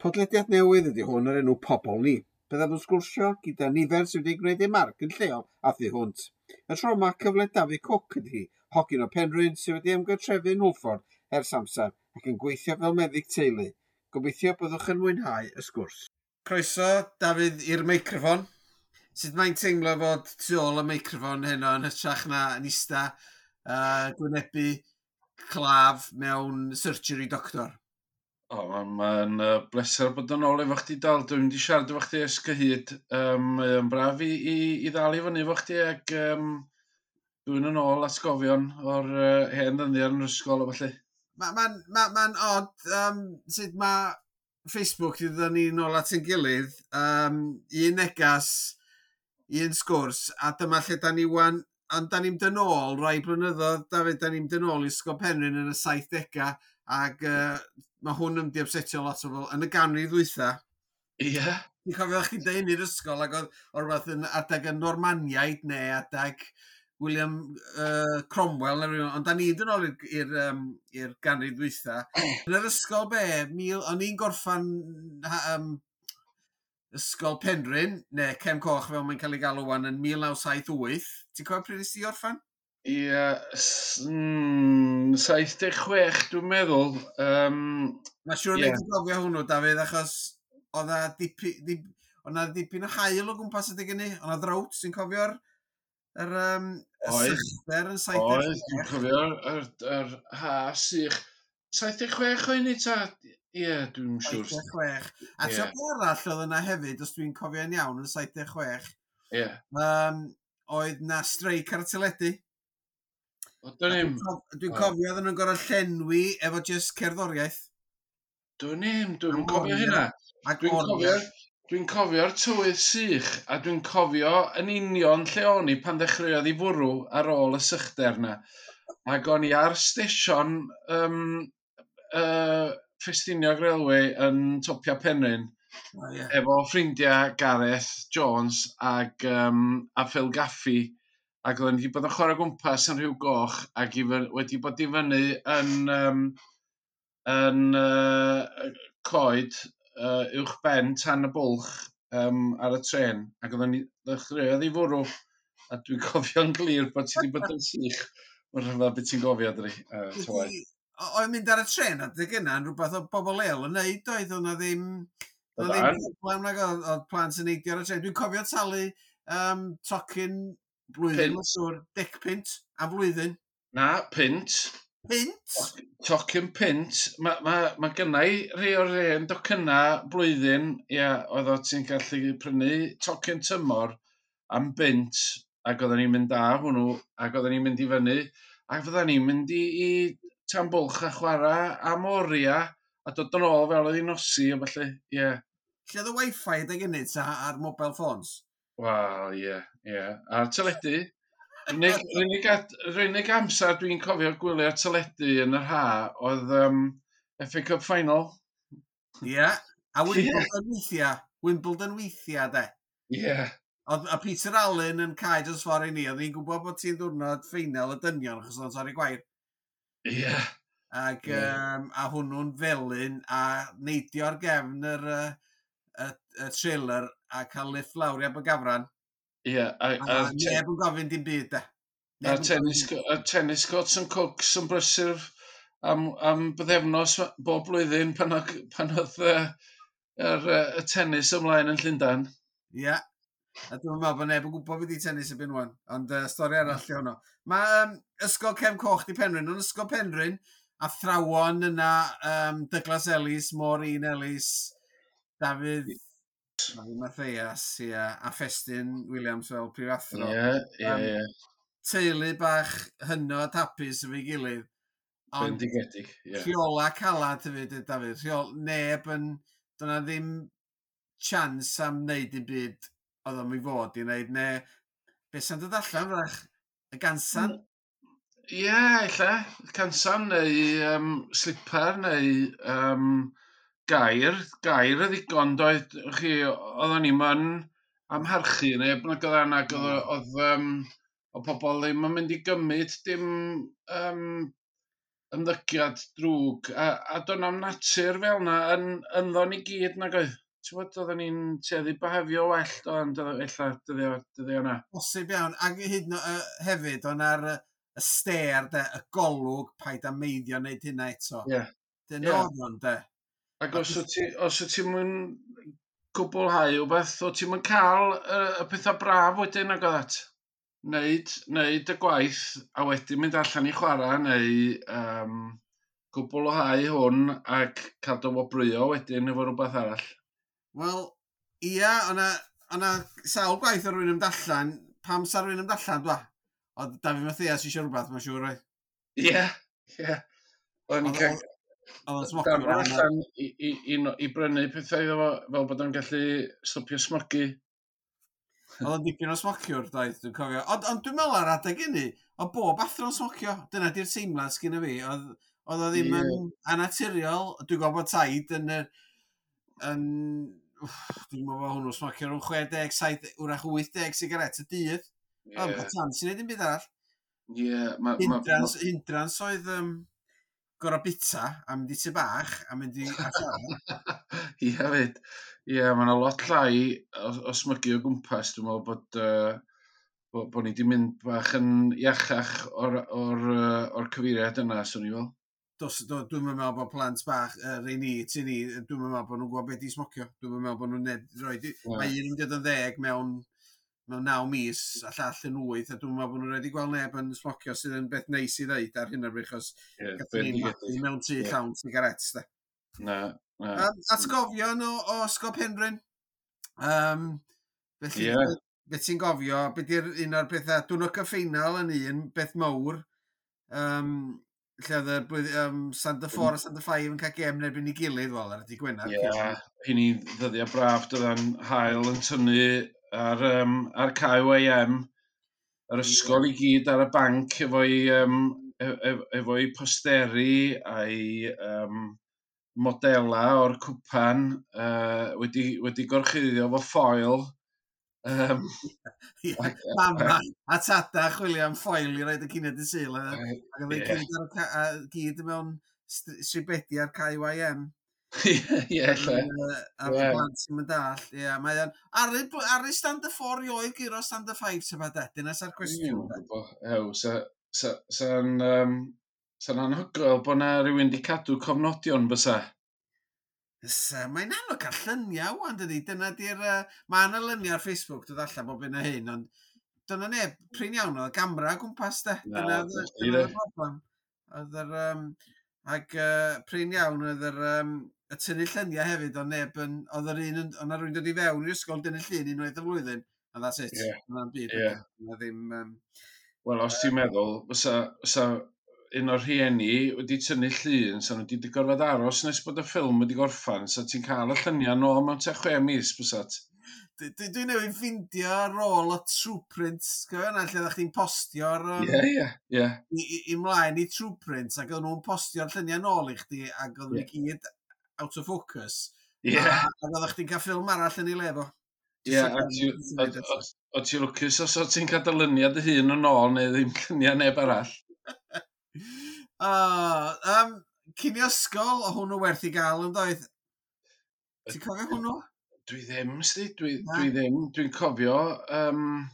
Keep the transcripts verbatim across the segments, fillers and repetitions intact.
Podlediad newydd ydy hwn o'r enw Pobol Ni. Byddaf yn sgwrsio gyda nifer sydd wedi gwneud eu marc yn lleol a thu hwnt. Y tro yma, cyfle Dafydd Cook ydy hi, hogyn o Penrhyn sydd wedi ymgartrefu yn Hwlffordd ers amser ac yn gweithio fel meddyg teulu. Gobeithio byddwch yn mwynhau y sgwrs. Croeso, Dafydd, i'r meicroffon. Sut mae'n teimlo fod tu ôl y meicroffon heno yn hytrach na yn ista uh, gwynebu claf mewn surgery doctor? O, mae'n ma uh, bleser bod yn ôl efo chdi, dal. Dwi'n mynd i siarad efo chdi ers cyhyd. Um, mae'n braf i, i, i ddal i fyny efo chdi ac um, dwi'n yn ôl atgofion o'r uh, hen ddyddiau yn yr ysgol o felly. Mae'n ma, ma, ma odd um, sut mae Facebook wedi dod ni nôl at ein gilydd. Um, un negas, un sgwrs, a dyma lle da ni wan, ond da ni'n dyn ôl rai blynyddoedd, Dafydd, da ni'n dyn ôl i Ysgol Penrhyn yn y saithdegau, ac uh, mae hwn yn mynd i upsetio lot o bobl yn y ganrif ddwytha. Ie. Yeah. Ti'n cofio chdi'n deud i'r ysgol ac oedd o rhywbeth yn adeg y Normaniaid neu adeg William uh, Cromwell neu rhywun, ond da ni'n dod nôl i'r um, i'r ganrif ddwytha. Yn yr ysgol be, mil, o'n i'n gorffan um, Ysgol Penrhyn, neu Cefn Coch fel mae'n cael ei galw wan, yn mil naw saith wyth. Ti'n cofio pryd nes ti orffan? Ie, mm, saith deg chwech dwi'n meddwl. Um, Mae'n siŵr yeah. Ti'n cofio hwnnw, Dafydd, achos oedd na dipyn, dip, oedd na dipyn o haul o gwmpas adeg hynny. Oedd na ddrowt, ti'n cofio'r yr, um, y Oedd. sychder yn saith deg chwech? Oedd, dwi'n cofio'r yr, yr ha sych. saith deg chwech oedd ni ta? Ie, dwi'n siŵr. saith deg chwech. A Ie. yeah. Beth arall oedd yna hefyd, os dwi'n cofio'n iawn, yn saith deg chwech, Ie. um, oedd na streic ar y teledu. O, dwn i'm. Dwi'n cof- Dwi'n O. cofio oedden nhw'n gorfod llenwi efo just cerddoriaeth. Dwn i'm, dwi'n Am cofio oriau. hynna. Ac Dwi'n oriau. cofio, dwi'n cofio'r tywydd sych, a dwi'n cofio yn union lle o'n i pan ddechreuodd i fwrw ar ôl y sychder na. Ac o'n i ar stesion um, uh, Ffestiniog Railway yn topia Penrhyn, O, ie. efo ffrindiau Gareth Jones ag, um, a Phil Gaffey, ac oedden ni wedi bod yn chwarae gwmpas yn Rhiw Goch ac i fy- wedi bod i fyny yn, um, yn uh, coed uh, uwch ben tan y bwlch um, ar y tren, ac oedden ni ddechreuodd i fwrw a dwi'n cofio'n glir bod ti wedi bod yn sych. Mae'n rhyfedd beth ti'n gofio, dri. Uh, ta waeth. Wedi- o- Oedd mynd ar y tren adeg yna yn rhywbeth o bobl leol yn neud, oedd o'na ddim... Oedd ddim Oeddan. problem nag oedd, oedd plant yn neidio ar y tren. Dwi'n cofio talu um, tocyn blwyddyn, Punt. mae'n siŵr, dec punt am flwyddyn. Na, punt. Punt? Tocyn punt. Mae ma, ma gynna i rhai o'r hen docynna blwyddyn, ia, oedd o ti'n gallu prynu tocyn tymor am bunt, ac oedden ni'n mynd â hwnnw, ac oedden ni'n mynd i fyny, ac fydden ni'n mynd i, i Tan Bwlch a chwarae am oriau, a dod yn ôl fel oedd hi'n nosi, a felly, ie. Lle oedd y wifi adeg hynny ta ar mobile phones? Wel, ie, ie. A'r teledu. Yr unig, yr unig, ad- yr unig amser dwi'n cofio gwylio'r teledu yn yr ha oedd um, F A Cup Final. Ie. Yeah. A Wimbledon weithiau. Wimbledon weithiau, de. Ie. Yeah. Oedd a Peter Allen yn cae dros ffordd i ni. Oedd hi'n gwybod bod ti'n ddwrnod ffeinal y dynion achos oedd o'n torri gwair. Ie. Yeah. Ac, Ie. um, a hwnnw'n felyn a neidio ar gefn yr, yy, y, y trailer a cael lift lawr i Abergafran. Ie. A, A, a, a neb yn gofyn dim byd, de. a Neb yn tennis, gofyn. a tennis courts yn Cooks yn brysur am, am bythefnos bob blwyddyn pan oedd, pan oedd uh, yr, uh, y tennis ymlaen yn Llundain. Ie. A dwi'n meddwl bod neb yn gwybod beth i tennis erbyn wan. Ond uh, stori arall i honno. Mae um, Ysgol Cefn Coch di Penrhyn. Ond Ysgol Penrhyn, athrawon yna, um, Douglas Ellis, Maureen Ellis, Dafydd, Dafydd Mathias, ie, a Ffestyn Williams fel prifathro. Ie, ie, Yym, ie. Teulu bach hynod hapus efo'i gilydd. Ond Bendigedig, ie. rheola calad hefyd, Dafydd. Rheol, neb yn... Dyna ddim chance am wneud dim byd oedd o'n i fod i wneud, neu beth sy'n dod allan, wrach, y gansan? Ie, ella. Cansan neu um, slipper neu um, gair. Gair y ddigon doedd chi, oedden ni'm yn amharchu neb nag oedd nag oedd, oedd, um, oedd pobl ddim yn mynd i gymryd dim um, ymddygiad drwg, a, a do'n am natur fel yna yn, ynddo ni gyd nag oedd. Ti'n gwybod, oedden ni'n tueddu behafio well, do'n ella dyddio, dyddio yna. Bosib iawn, ac hyd yn uh, hefyd, o'n ar y stêr, de, y golwg, paid â meiddio wneud hynna eto. Ie. Yeah. Dyna yeah. oedd o'n, de. Ac os wyt ti, os wyt ti'n mwyn cwblhau wbeth, o ti'n mynd cael y, y pethau braf wedyn ag oedd at. Neud, neud y gwaith a wedyn mynd allan i chwarae neu um, cwblhau hwn ac cael dy wobrwyo wedyn efo rhywbeth arall. Wel, ia, o'na, o'na sawl gwaith o rywun yn allan. Pam sa rywun yn allan, dwa? Oedd Dafydd Mathias eisiau rhywbeth, mae'n siŵr, oedd? Ie, ie. O'n i'n cael... Oedd o'n smocio. Darfod allan i, i, i, i brynu pethau iddo fo, fel bod o'n gallu stopio smogu. Oedd o'n dipyn o smociwr, doedd, dwi'n cofio. Ond, ond dwi'n meddwl ar adeg hynny, oedd bob athro'n smocio. Dyna di'r teimlad sgynna fi. Oedd, oedd o ddim yeah. yn anaturiol. Dwi'n gwybod bod taid yn... yn dwi'n meddwl bod hwnnw smocio rhwng chwe deg, saith, wrach wyth deg sigaret y dydd. Yeah. Oedd o'n chance i wneud dim byd arall. Ie. Yeah, ma, hindrans, ma, hindrans oedd um, gorau bita a mynd i tŷ bach a mynd i Ie, fyd. Ie, yeah, mae yna lot llai o, o smygu o gwmpas. Dwi'n meddwl bod, uh, bod, bod ni wedi mynd bach yn iachach o'r, or, uh, or cyfeiriad yna, swn i fel. Dos, do, dwi'n meddwl bod plant bach, uh, rei ni, ti ni, dwi'n meddwl bod nhw'n gwybod beth i smocio. Dwi'n meddwl bod nhw'n neb, rhoi, yeah. Mae un yn mynd yn ddeg mewn, mewn naw mis a llall yn wyth, a dwi'n meddwl bod nhw'n rhaid i gweld neb yn smocio sydd yn beth neis i ddeud ar hyn o bryd, achos yeah, gathon ni magu mewn tŷ yeah. llawn sigarets, de. Na, na. Um, atgofion o, o Ysgol Penrhyn. Um, felly, yeah. Beth ti'n gofio, beth yw'r un o'r pethau, diwrnod y ffeinal yn un, beth mawr, um, lle oedd y blwydd, um, Standard Four a Standard Five yn cael gem yn erbyn ei gilydd, wel, ar y Gwener. Ie, yeah, hynny ddyddiau braf, dydda'n hael yn tynnu ar, um, ar K Y M, yr ysgol i gyd ar y banc efo'i um, efo'i posteri a'i um, modela o'r cwpan uh, wedi, wedi gorchuddio efo ffoil. Um, yeah, Mama a tada chwilio am ffoil i roed y cinio dy Sul. Ac oedd yeah. gyd, ar, gyd mewn stribedi ar K Y M. Ie, lle. A yeah. Plant sy'n mynd all. Ie, mae o'n... Ar y Standard Four i oedd guro Standard Five, sef a dyna sa'r cwestiwn. Hew, sa'n sa'n anhygoel bod na rhywun di cadw cofnodion bysa. Fysa, mae'n anodd cael lluniau wan, dydy. Dyna di'r... Uh, mae yna luniau ar Facebook, dod allan bob un o hyn, ond dyna neb, prin iawn oedd gamra o gwmpas, de. Dyna dyna'r broblem. Oedd yr... Um, ac uh, prin iawn oedd yr... Um, y tynnu lluniau hefyd, ond neb yn... Oedd yr un... Oedd yna rhywun dod i fewn i'r ysgol dynnu llun unwaith y flwyddyn, and that's it. Yeah. Dyna'n byd. Yeah. Dyna ddim... Um, Wel, os ti'n meddwl, fysa, fysa un o'r rhieni wedi tynnu llun, sa nhw wedi gorfod aros nes bod y ffilm wedi gorffan, sa ti'n cael y lluniau nôl mewn tua chwe mis, bysat. Dwi, dwi newydd ffindio rôl o Trueprint, cofio yna, lle oeddech chdi'n postio'r... Ie, ie, ie. I, i, i mlaen i Trueprint, ac oedden nhw'n postio'r lluniau nôl i chdi, ac oedden nhw yeah. gyd out of focus. Ie. Yeah. A, a oeddech chdi'n cael ffilm arall yn ei le fo. Ie, o ti'n lwcus os o ti'n cael dyluniad dy hun yn ôl neu ddim lluniau neb arall. Uh, um, cinio ysgol, o hwnnw werth i gael yn doedd? Ti'n cofio hwnnw? Dwi ddim, sti, dwi, dwi ddim. Dwi'n cofio, um,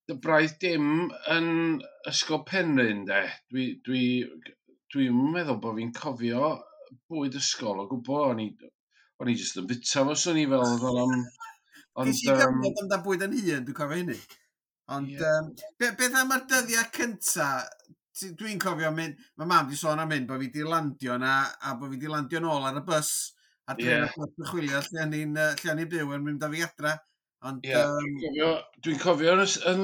dy braidd dim yn Ysgol Penrhyn, de. Dwi, dwi, dwi'n meddwl bod fi'n cofio bwyd ysgol o gwbl. O'n i, o'n i jyst yn bita fo, swn i fel oedd o'n... Ond, Ges i gyfnod am da bwyd yn hun, dwi'n cofio hynny. Ond, yeah. um, be, beth am yr dyddiau cynta? Dwi'n cofio mynd, mae mam di sôn am hyn, bod fi di landio na, a bod fi di landio nôl ar y bus, a dwi'n yeah. chwilio lle o'n i'n lle o'n i'n byw yn mynd â fi adra. Ond, yeah, um, dwi'n cofio, dwi'n cofio yn, yn,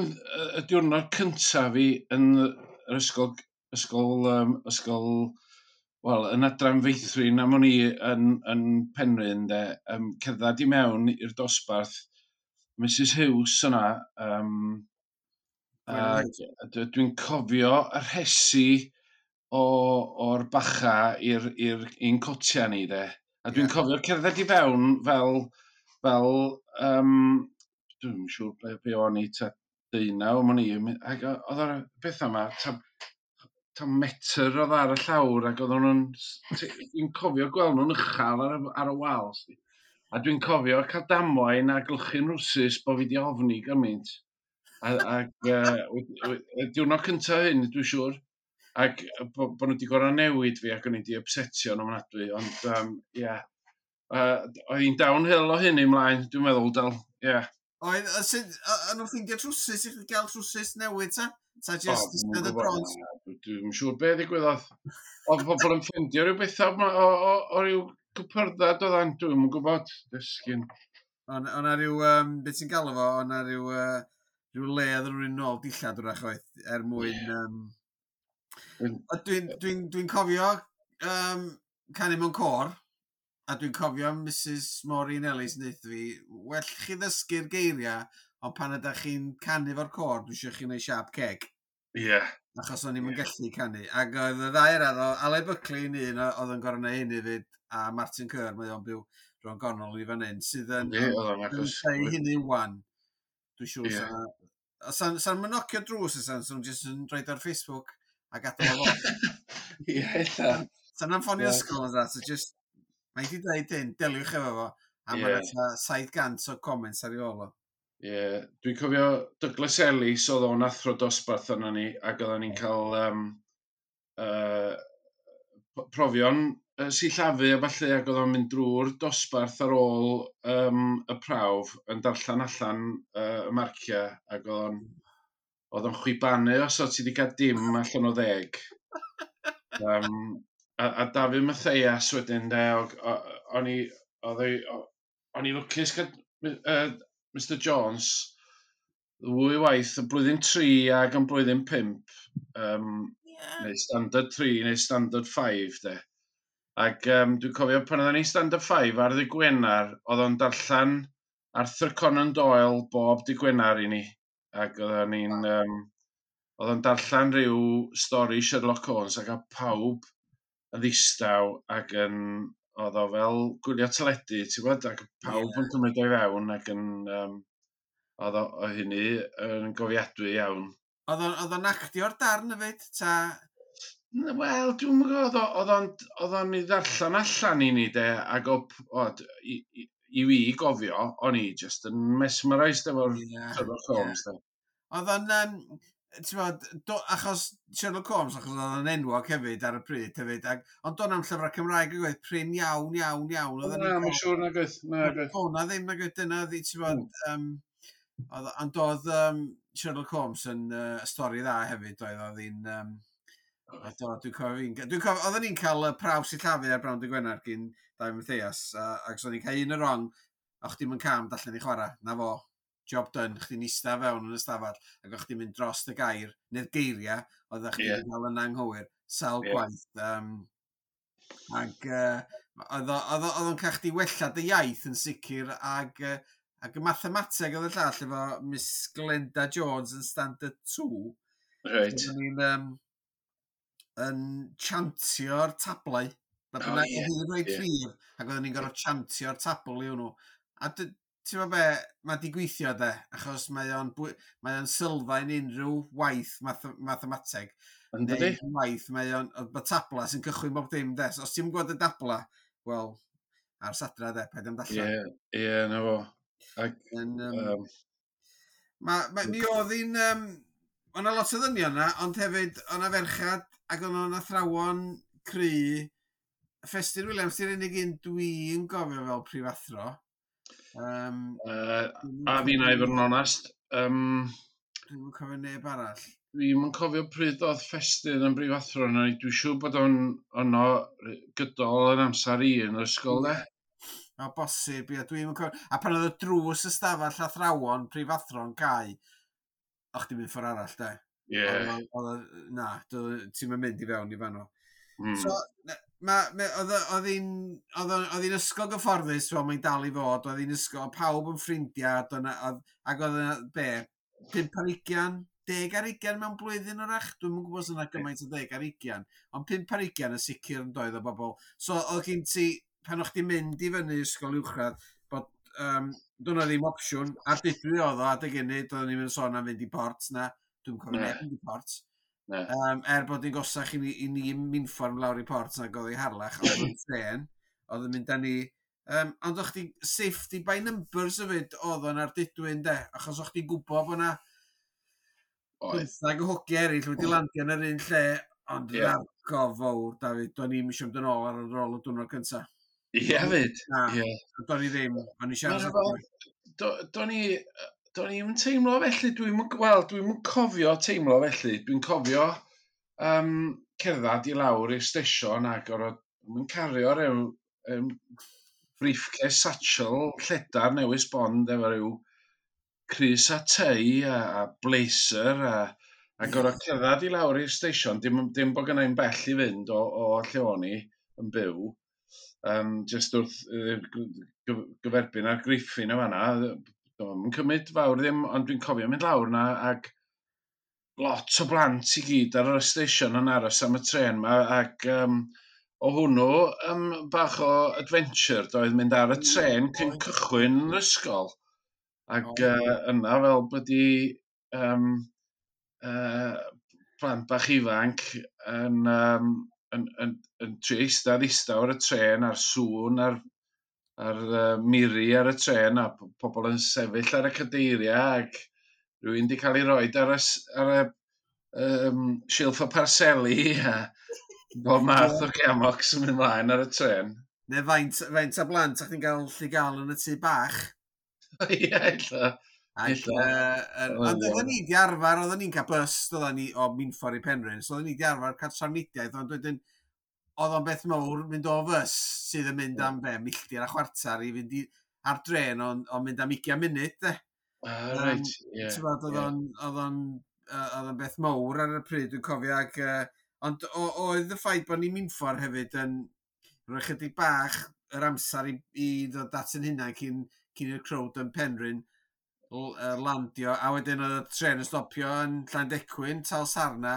y diwrnod cyntaf fi yn yr ysgol, ysgol, um, ysgol, wel, yn adran feithrin am o'n i yn, yn Penrhyn, de, um, cerdded i mewn i'r dosbarth, Missus Hughes yna, um, a dwi'n cofio y rhesi o, o'r bacha i'r i'r un cotia ni, de. A dwi'n yeah. cofio cerdded i fewn fel, fel um, dwi'n siŵr ble be o'n i, ta deunaw, o'n i, ac oedd o'r beth yma, ta ta metr oedd ar y llawr ac oedden nhw'n... Dwi'n cofio gweld nhw'n uchel ar, y, ar y wal. Sti. A dwi'n cofio cael damwain a glychu'n rwsus bod fi di ofni gymaint. A, ac uh, y diwrnod cyntaf hyn, dwi'n siŵr, ac bo, bo nhw wedi gorau newid fi ac o'n i wedi upsetio yn ofnadwy, ond um, ie. Yeah. Uh, oedd hi'n downhill o hyn ymlaen, dwi'n meddwl, dal, ie. Yeah. Oedd, o'n nhw'n ffeindio trwsus i chdi gael trwsus newydd, ta? Ta just oh, eistedd y drons? Dwi'n siŵr beth ddigwyddodd. Oedd pobl yn ffeindio rhyw bethau o, o, o, o ryw cypyrdda doeddan, dwi'n gwybod, dysgyn. O'n yna rhyw, um, beth ti'n galw fo, o'n rhyw, uh, rhyw le oedd rhywun nôl dillad wrach oedd, er mwyn... Yeah. Um, Dwi'n dwi, dwi cofio um, canu mewn côr, a dwi'n cofio Mrs Maureen Ellis yn deutha fi, well chi ddysgu'r geiriau, ond pan ydych chi'n canu fo'r côr, dwi eisiau chi wneud siap ceg. Ie. Yeah. Achos o'n i'm yn yeah. gallu canu. Ac oedd y ddau arall, Aled Buckley yn un oedd yn gorau neud hynny fyd, a Martin Kerr, mae o'n byw rhwng gornol i fan hyn, sydd yn... Ie, oedd o'n agos. Yn hynny wan. Dwi'n siŵr yeah. sa... Sa'n sa nhw'n nocio drws, sa'n nhw'n jyst yn rhaid ar Facebook a gadael o fo. Ie, ella. Sa'n nhw'n ffonio ysgol yn dda, so just... Mae di dweud hyn, deliwch efo fo, a yeah. mae'n saith gant o comments ar ei ôl o. Ie, yeah. Dwi'n cofio Douglas Ellis oedd o'n athro dosbarth arno ni, ac oedden ni'n cael um, uh, profion uh, sillafu a falle, ac oedd o'n mynd drwy'r dosbarth ar ôl um, y prawf yn darllen allan uh, y marciau, ac oedd o'n oedd o'n chwibanu os oedd ti wedi cael dim allan o ddeg. Um, a, a Dafydd Mathias wedyn, de, o'n i, o'n i lwcus cael uh, Mister Jones ddwy waith, y blwyddyn tri ac yn blwyddyn pump, um, yeah. neu standard tri neu standard five, de. Ac um, dwi'n cofio pan oedden ni'n standard five ar ddydd Gwener, oedd o'n darllen Arthur Conan Doyle bob dydd Gwener i ni. Ac oedden ni'n... Um, oedd o'n darllen rhyw stori Sherlock Holmes ac oedd pawb yn ddistaw ac yn... Oedd o fel gwylio teledu, ti'n gwybod, ac pawb yeah. yn cymryd o'i fewn ac yn... Um, oedd o, o hynny yn gofiadwy iawn. Oedd o'n actio'r darn hefyd, ta... Wel, dwi'n gwybod, oedd o'n oedd o'n i ddarllen allan i ni, de, ac o, o, i, i, i fi gofio, o'n i just yn mesmerised efo'r yeah, Sherlock Holmes, yeah. de. Oedd o'n, um, ti'n bod, do, achos Sherlock Holmes, achos oedd o'n enwog hefyd ar y pryd hefyd, ac, ond do'n am llyfrau Cymraeg yn gweud, prin iawn, iawn, iawn. Na, mae'n siŵr nag oedd, nag oedd. Do na ddim, nag oedd, dyna, ti'n bod, um, oedd, ond oedd um, Sherlock Holmes yn uh, stori dda hefyd, oedd oedd hi'n... Um, do, dwi'n cofio fi'n... Dwi'n cofio, oedden ni'n cael uh, prawf sillafu ar Brown dy Gwener gyn Dai Mathias, uh, ac so ni'n cael un y wrong, a chdi'm yn cam allan i chwarae, na fo, job done, chdi'n ista fewn yn y stafell, ac o'ch chdi'n mynd dros y gair, neu'r geiriau, oeddech chdi'n yeah. cael yn anghywir, sawl yeah. gwaith. Um, ac uh, oedd o'n cael chdi wella dy iaith yn sicr, ac, uh, ac y mathemateg oedd y llall efo Miss Glenda Jones yn Standard two. Right. Oedden ni'n um, yn chantio'r tablau. Na oh, yeah. Oedd hi'n rhoi yeah. ac oedden ni'n gorfod chantio'r tabl i hwnnw. A ti'n gwybod be, mae di gweithio de, achos mae o'n, mae o'n sylfaen unrhyw waith math mathemateg. Yndi? Waith, mae o'n, mae tabla sy'n cychwyn bob dim de. So, os ti'n gwybod y dabla, wel, ar sadra de, paid am darllen. Ie, yeah, ie, yeah, na fo. Ac, um, um, ma, ma, mi oedd hi'n... Um, O'na lot o ddynion yna, ond hefyd o'na ferchad ac o'n nhw'n athrawon cry. Ffestyn Williams, di'r unig un dwi'n gofio fel prifathro. Um, uh, a fi na i fod yn onest. Um, Dwi'm yn cofio neb arall. Dwi'm yn cofio pryd oedd Ffestyn yn brifathro yna. Dwi'n siŵr bod o'n ono gydol yn amser i yn yr ysgol, de. O, bosib, ie, dwi'm yn cofio. A pan oedd y drws y stafell athrawon prifathro'n cau, o'ch chdi'n mynd ffordd arall, de. Ie. Yeah. Oedd, na, ti'n mynd i fewn i fanno. Mm. So, ma, ma, oedd oedd hi'n oedd oedd hi'n ysgol gyfforddus, fel mae'n dal i fod, oedd hi'n ysgol, pawb yn ffrindiau, oedd, ac oedd yna, be, pump ar ugian, deg ar ugian mewn blwyddyn wrach, dwi'm yn gwybod os yna gymaint o deg ar ugian, ond pump ar ugian yn sicr yn doedd o bobl. So, oedd gen ti, pan o'ch ti'n mynd i fyny ysgol uwchradd, bod, um, doedd ddim opsiwn, a dydw oedd o adeg hynny, doeddwn ni'n sôn am fynd i Port, na, dwi'n cofio neb mynd i Port. Na. Um, er bod ni'n gosach i ni, i ni Minffordd lawr i Port nag oedd i Harlech, ond oedd tren, oedd yn mynd â ni. Um, ond o'ch chi safety by numbers hefyd oedd o'n Ardudwy, de, achos o'ch chi'n gwybod bod na Oedd. bymthag o hogiau eraill wedi landio yn yr un lle, ond Ie. yeah. Argof fawr, David, do'n i'm eisiau mynd yn ôl ar yr ôl y diwrnod cyntaf. Ie, fyd. Na, Ie. do'n i ddim, o'n i siarad. Ma'n rhyfedd. Do- Do'n i, do'n i'm yn teimlo felly, dwi'n wel, dwi'n cofio teimlo felly. Dwi'n cofio um, cerdded i lawr i'r stesion ac orfod yn cario rhyw um, briefcase satchel lledar newydd sbon efo rhyw crys a tei a, a blazer a, a gorfod cerdded i lawr i'r stesion, dim, dim bod gynna i'm bell i fynd o, o lle o'n i yn byw. Um, just wrth yy, gy- gyferbyn ar Griffin o fanna, do'n cymryd fawr ddim, ond dwi'n cofio mynd lawr na ac lot o blant i gyd ar y station yn aros am y tren ma ac um, o hwnnw um, bach o adventure doedd mynd ar y tren cyn cychwyn yn yr ysgol ac O. uh, yna fel bod i um, uh, plant bach ifanc yn, um, yn, yn, yn trio eistedd ddistaw ar y tren a'r sŵn a'r, a'r uh, miri ar y tren a p- pobl yn sefyll ar y cadeiriau ac rhywun wedi cael ei roed ar y, s- ar y um, silff o parseli a bob math o gamocs yn mynd mlaen ar y tren. Neu faint, faint o blant a'ch chi'n gael lle gael yn y tŷ bach. Ie, ella. Ac, Ella. uh, Oedd ond iawn. oedden ni di arfer, oedden ni'n cael bus, oedden ni o Minffordd i Penrhyn, so oedden ni di arfer cael trafnidiaeth, ond wedyn, oedd o'n beth mawr mynd o fws sydd yn mynd am be, milltir a chwarter i fynd i, ar dren, ond on mynd am ugain munud, de. Ah, reit, ie. Ti'n bod, oedd ie. o'n, oedd o'n, yy, oedd o'n beth mawr ar y pryd, dwi'n cofio, ac, uh, ond o- oedd y ffaith bod ni'n Minffordd hefyd yn rhoi chydig bach yr amser i, i ddod at yn hunan cyn, cyn i'r crowd yn Penrhyn l- yy, landio, a wedyn oedd y tren yn stopio yn Llandecwyn, Talsarna,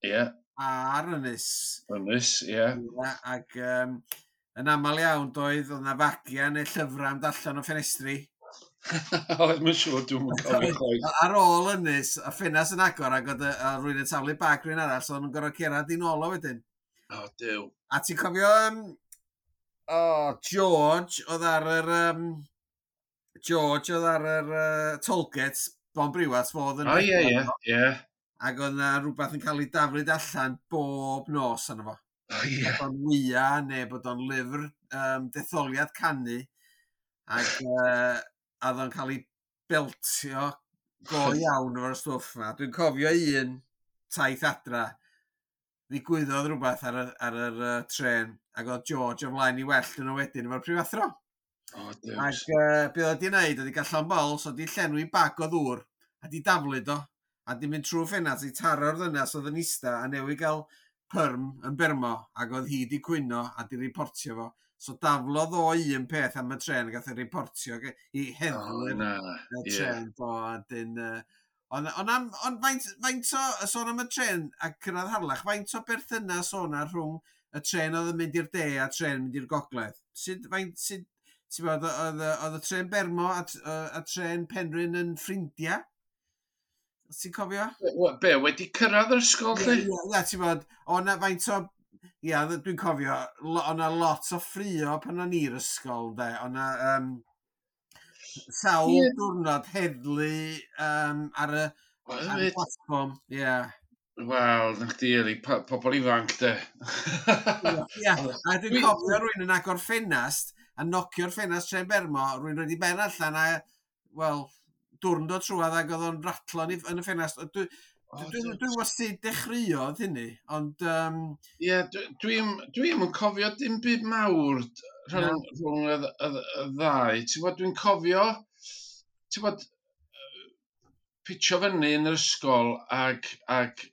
Ie, a'r Ynys. Ynys, ie. Ie, ac um, yn aml iawn doedd, oedd yna fagia neu llyfrau am allan o ffenestri. Oedd, mae'n siŵr, dwi'n yn cofio chwaith. Ar ôl Ynys, y ffenast yn agor ac oedd y- a rhywun yn taflu bag rhywun arall, so o'n nhw'n gorfod cerdded i nôl o wedyn. O, Duw. A ti'n cofio, um, oh, George oedd ar yr... Um, George oedd ar yr uh, tollgate, Bon Briwat, fo oedd yn... O, ie, ie, ie. Ac oedd yna rhywbeth yn cael ei daflud allan bob nos arno fo. O, ie. Bod o'n wya neu bod o'n lyfr um, detholiad canu. Ac uh, a oedd o'n cael ei beltio go iawn efo'r stwff yma. Dwi'n cofio un taith adra, ddigwyddodd rhywbeth ar y, ar yr uh, tren, ac oedd George o flaen i wellt yn o wedyn efo'r prifathro. O, Duw. Ac uh, be oedd wedi wneud, oedd wedi gael llond bol, so wedi llenwi bag o ddŵr, a di daflud o, a di mynd trwy ffenast i taro'r ddynas oedd yn ista, a newydd gael perm yn Bermo, ac oedd hi di cwyno a di reportio fo. So daflodd o un peth am y tren, a gath ei reportio ge- i O, heddlu na. y Ie. tren, do, a dyn... Uh, ond on am, ond faint, faint o, sôn am y tren a cyrraedd Harlech, faint o berthynas o'na rhwng y tren oedd yn mynd i'r de a tren mynd i'r gogledd? Sut, faint, sut, ti'n bod, oedd, oedd y tren Bermo a, t- a, a tren Penrhyn yn ffrindiau? Ti'n cofio? Be, be, wedi cyrraedd yr ysgol, Ie, lle? ie, ie, ti'n bod, o'na faint o... Ia, dwi'n cofio, lo- o'na lot o ffrio pan o'n i'r ysgol, de. O'na um, sawl Ie. diwrnod heddlu um, ar y, Wel, ar y hefyd. platfform. Ie. Wel, na chdi, Eli, po- pobl ifanc, de. Ie, a dwi'n Dwi- cofio rhywun yn agor ffenast a nocio'r ffenast tren Bermo, rhywun roed i ben allan a, wel, dwrn dod trwadd ac oedd o'n ratlo yn, i- yn y ffenast. Dwi, O, dwi, dwi, dwi'n gwybod sut dechreuodd hynny, ond um, Ie, dwi'n dwi'm yn cofio dim byd mawr rhwng, rhwng y, y, y ddau. Ti'n gwbod, dwi'n cofio, ti'n gwbod, pitio fyny yn yr ysgol ag, ag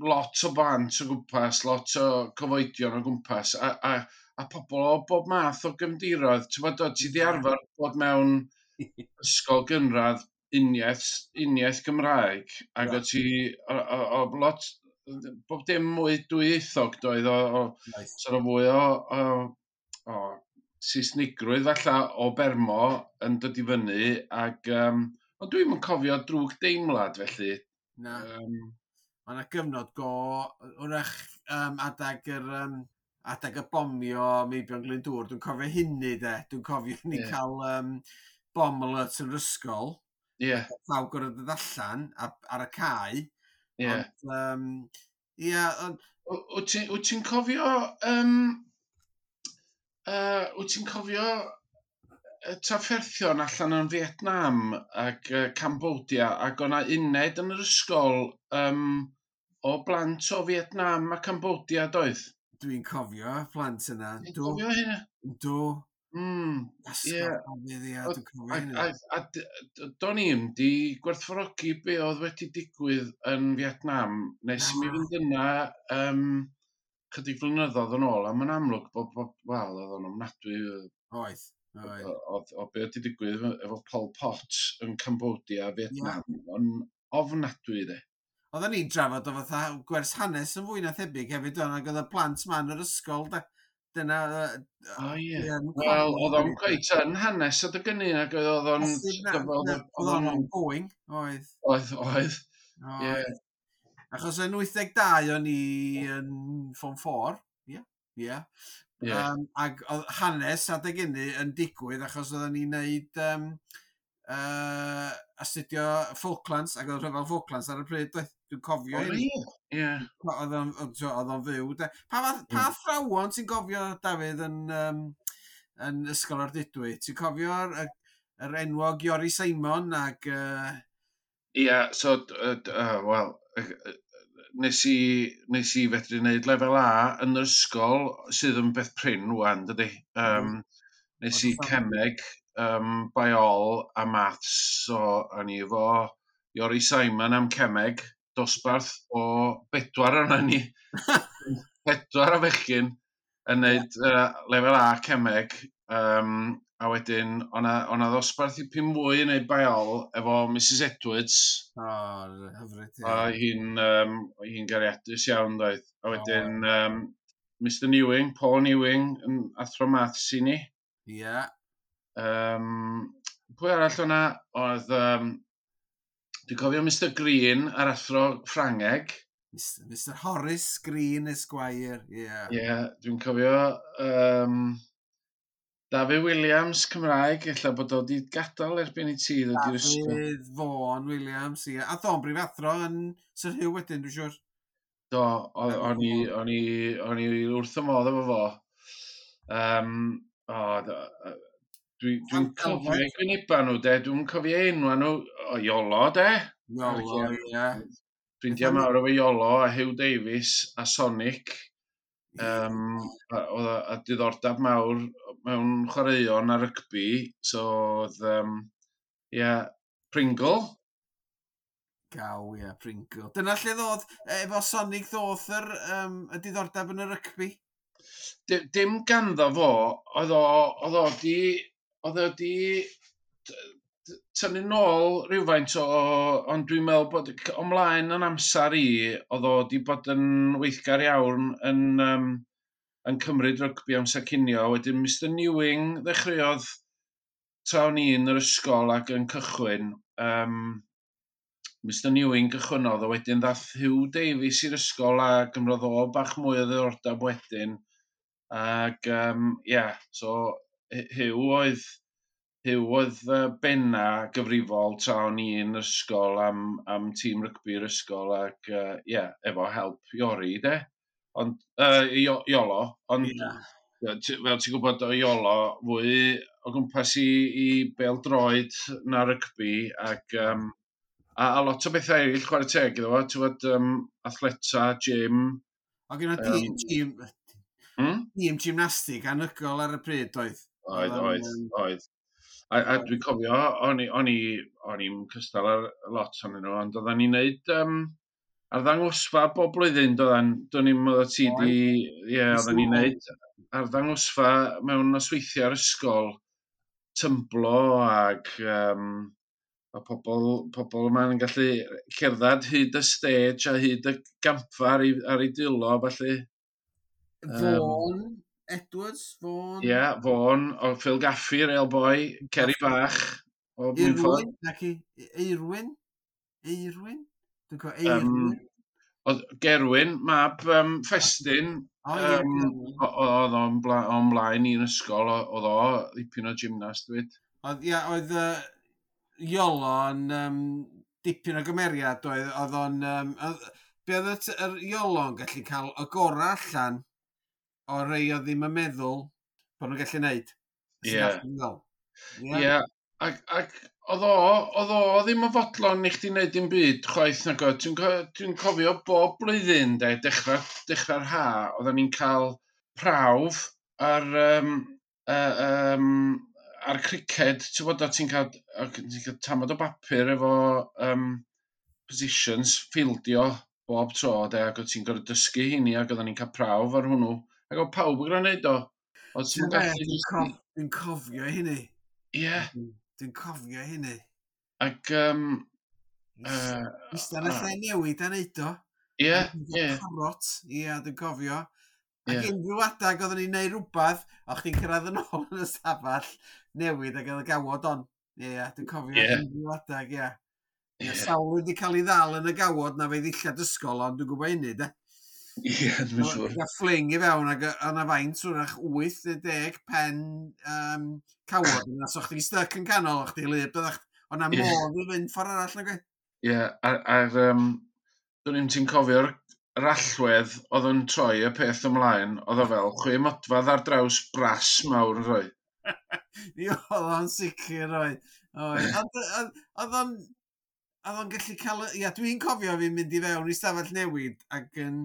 lot o blant o gwmpas, lot o cyfoedion o gwmpas, a, a, a pobl o bob math o gefndiroedd. Ti'n gwbod, o, ti di arfer bod mewn ysgol gynradd uniaith, uniaith Gymraeg, ac Ie. o ti, o, o, o lot, bob dim mwy dwyieithog doedd, o, o nice. sort of fwy o, o, o Saesnigrwydd falle o Bermo yn dod i fyny, ac um, ond dwi'm yn cofio drwg deimlad felly. Na. Um, Mae yna gyfnod go, wrach um, adag yr, um, adag y bomio Meibion Glyndŵr, dwi'n cofio hynny de, dwi'n cofio ni yeah. cael um, bomb alert yn yr ysgol. Ie. Yeah. Pawb gorfod dod allan ar, ar y cae. Ie. Yeah. Ond, um, yeah, ond... Wyt ti'n cofio... Um, uh, wyt ti'n cofio trafferthion allan yn Vietnam ac uh, Cambodia, ac o'na uned yn yr ysgol um, o blant o Vietnam a Cambodia, doedd? Dwi'n cofio plant yna. Dwi'n cofio hynna? Do. Mm, ie. Dwi'n cofio hynna. A, a, a do'n i'm di gwerthfawrogi be oedd wedi digwydd yn Vietnam nes i mi fynd yna um, chydig flynyddoedd yn ôl, a mae'n amlwg bod, bod wel, oedd o'n ofnadwy. Oedd. O, o, o be oedd wedi digwydd efo Pol Pot yn Cambodia, Vietnam, yeah. O'n ofnadwy de. Oedden ni'n drafod o fatha gwers hanes yn fwy na thebyg hefyd, o'n ac oedd y plant ma'n yr ysgol, da. Dyna... O ie. Wel, oedd o'n cweit yn hanes adeg hynny, ac oedd o'n... Oedd o'n ongoing, oedd. Oedd, oedd. Ie. Achos yn wyth deg dau o'n i yn Form four, ie, ie. Yeah. Um, ac oedd hanes adeg hynny yn digwydd achos oedden ni'n neud um, uh, astudio Falklands, ac oedd rhyfel Falklands ar y pryd, doedd? Dwi'n cofio hynny. Ie. Oedd o'n fyw. De. Pa, pa mm. athrawon ti'n cofio, Dafydd, yn, um, yn Ysgol Ardudwy? Ti'n cofio'r yr enwog Iori Simon ac... Ie, uh... yeah, so, uh, uh, wel, nes i, nes i fedru wneud lefel A yn yr ysgol, sydd yn beth prin wan, dydy. Um, nes i cemeg, um, biol a maths, so o'n i efo Iori Simon am cemeg, dosbarth o bedwar o'na ni. Pedwar o fechgyn yn wneud uh, lefel A cemeg, um, a wedyn o'na, o'na ddosbarth i pum mwy yn neud biol efo Missus Edwards. O, oh, hyfryd. A hi'n um, hi'n gariadus iawn, doedd. A wedyn oh. um, Mister Newing, Paul Newing, yn athro maths i ni. Ie. Yeah. Um, pwy arall o'na? Oedd, um, dwi'n cofio Mister Green a'r athro Ffrangeg. Mister Horace Green Esquire, ie. Yeah. Ie, yeah, dwi'n cofio... Um, Dafydd Williams, Cymraeg, ella bod o wedi gadael erbyn i ti ddod i'r ysgol. Dafydd Vaughan Williams, ie. A ddo'n brifathro yn Sir Hugh wedyn, dwi'n siŵr. Do, o'n i, o'n i, o'n i wrth y modd efo fo. Um, o, dwi'n dwi cofio gwyneba nhw, de. Dwi'n cofio enwa nhw, o Iolo, de. Iolo, ie. Ffrindiau mawr efo Iolo a Hugh Davies a Sonic. Um, a, a, a diddordeb mawr mewn chwaraeon a rygbi, so oedd, um, yeah, Pringle. Gaw, ie, yeah, Pringle. Dyna lle ddod, efo Sonic ddoth yr, um, y diddordeb yn y rygbi? Dim ganddo fo, oedd o, oedd o di, oedd o di tynnu nôl rhywfaint o, ond dwi'n meddwl bod ymlaen yn amser i, oedd o di bod yn weithgar iawn yn, um, yn cymryd rygbi amser cinio. Wedyn Mister Newing ddechreuodd tra o'n i yn yr ysgol ac yn cychwyn. Um, Mister Newing gychwynnodd, a wedyn ddath Hugh Davies i'r ysgol a gymrodd o bach mwy o ddiddordeb wedyn. Ac, um, yeah, so Hugh oedd... Hugh oedd benna gyfrifol tra o'n i yn yr ysgol am, am tîm rygbi'r ysgol ac, uh, yeah, efo help Iori, de. Ond, uh, Iolo, ond yeah. Fel ti'n gwybod o Iolo, fwy o gwmpas i, i bêl-droed na rygbi ac um, a, a lot o bethau eraill chwarae teg iddo fo, ti'n gwybod, um, athleta, gym. O gyda um, tîm, hmm? Tîm gymnastig anhygoel ar y pryd, oedd? Oedd, oedd, oedd. A, a dwi'n cofio, o'n i, o'n i, o'n i'n cystal ar lot ohonyn nhw, ond oedden ni'n neud um, arddangosfa bob blwyddyn, doedden, do'n i'n meddwl ti di, ie, oedden ni'n neud arddangosfa mewn nosweithiau ar ysgol, tymblo ac um, a pobl, pobl yma'n gallu cerdded hyd y stage a hyd y gampfa ar ei, ar ei dwylo, felly. Vaughan um, Edwards, Vaughan. Ie, yeah, Vaughan, o Phil Gaffey, Real Boy, Kerry Bach, o Bwynffordd. Eirwyn, naci, Eirwyn? Eirwyn? Dwi'n cofio, Eirwyn. Um, Oedd Gerwyn, mab um, Ffestyn, O, ie, um, Gerwyn. Oedd o'n bla, o'n mlaen i'n ysgol, oedd o ddipyn o gymnast 'fyd. Oedd, ia, oedd uh, Iolo yn um, dipyn o gymeriad, oedd, oedd o'n... Um, oedd, be oedd y t- yr Iolo'n gallu cael y gorau allan o rei oedd ddim yn meddwl bod nhw'n gallu neud. Ie. Ie. Ie, yeah, ac, ac oedd o, oedd o ddim yn fodlon i chdi wneud dim byd chwaith nag oedd. Dwi'n co- dwi'n cofio bob blwyddyn, de, dechrau, dechrau'r ha, oedden ni'n cael prawf ar, um, uh, um, ar criced, ti'n bod, o ti'n cael, o ti'n cael tamad o bapur efo um, positions, ffieldio bob tro, de, ac oedd ti'n gorfod dysgu hynny, ac oedden ni'n cael prawf ar hwnnw. Ac oedd pawb yn gwneud o. Oedd ti'n Ti'n gallu Dwi'n jyst- cof, dwi'n cofio hynny. Ie, Dwi'n cofio hynny. ac um, uh, Ista yn y lle newid a neud o. ie, ie, Parot, ie, dwi'n cofio. Ac Ie. unrhyw adag oedden ni'n neud rhywbeth, o chdi'n cyrraedd yn ôl yn y stafell newid ac oedd y gawod on. Ie, ie, dwi'n cofio Ie. unrhyw adag, ie. Ie, Ie. sawl wedi cael ei ddal yn y gawod na fe ddillad ysgol, ond dwi'n gwybod hynny, de. Ie, dwi'n siŵr. Gael fling i fewn ac yna faint, wrach wyth neu deg pen um, cawod yna, so chdi'n styc yn canol, o chdi lyb, byddach, o'na Ie. modd i fynd ffordd arall, nag oedd? Ie, a'r, ar, um, dwi'n i'm ti'n cofio'r yr allwedd oedd yn troi y peth ymlaen, oedd o fel chwe modfadd ar draws bras mawr yn rhoi. Mi oedd o'n sicr, oedd. Oedd. Ond, oedd oedd o'n oedd o'n gallu cael... Ia, dwi'n cofio fi'n mynd i fewn i stafell newid ac yn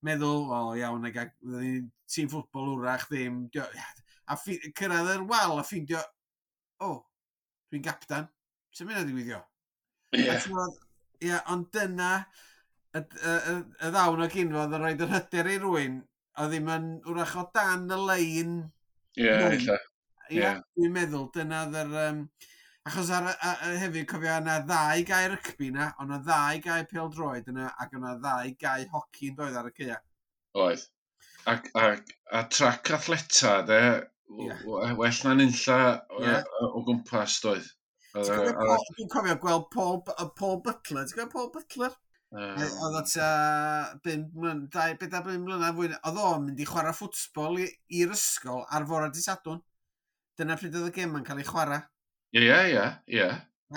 meddwl, o iawn, ac ac fydden ni'n tîm ffwtbol wrach ddim. Dio- A ffi- cyrraedd yr wal a ffeindio, o, dwi'n gaptan. Sut mynd i ddigwyddio? Ie, A ti'n gwbod, Ie, ond dyna y, y, y, y ddawn o gynfodd yn rhoi yr hyder i rywun oedd ddim yn wrach o dan y lein. ie, ella. Ie, Ie. dwi'n meddwl, dyna oedd yr... Um, achos ar, a, a, hefyd, cofio, yna ddau gae rygbi na, ond yna ddau gae pêl-droed yna, ac yna ddau gae hoci yn doedd ar y caea. Oedd. Ac, ac, a trac athleta, de, Ie. w- well na'n unlla o, Ie. o gwmpas, doedd. Ti'n Oedd, cofio oedd- Paul- Dwi'n cofio gweld Paul, B- Paul Butler. Ti'n cofio Paul Butler? yym, Oedd o tua bum mlyn- dau, bedair bum mlynedd fwy. Oedd o'n mynd i chwarae ffwtbol i- i'r ysgol ar fore dydd Sadwrn. Dyna pryd oedd y gêm yn cael ei chwarae. Ie, ie, ie.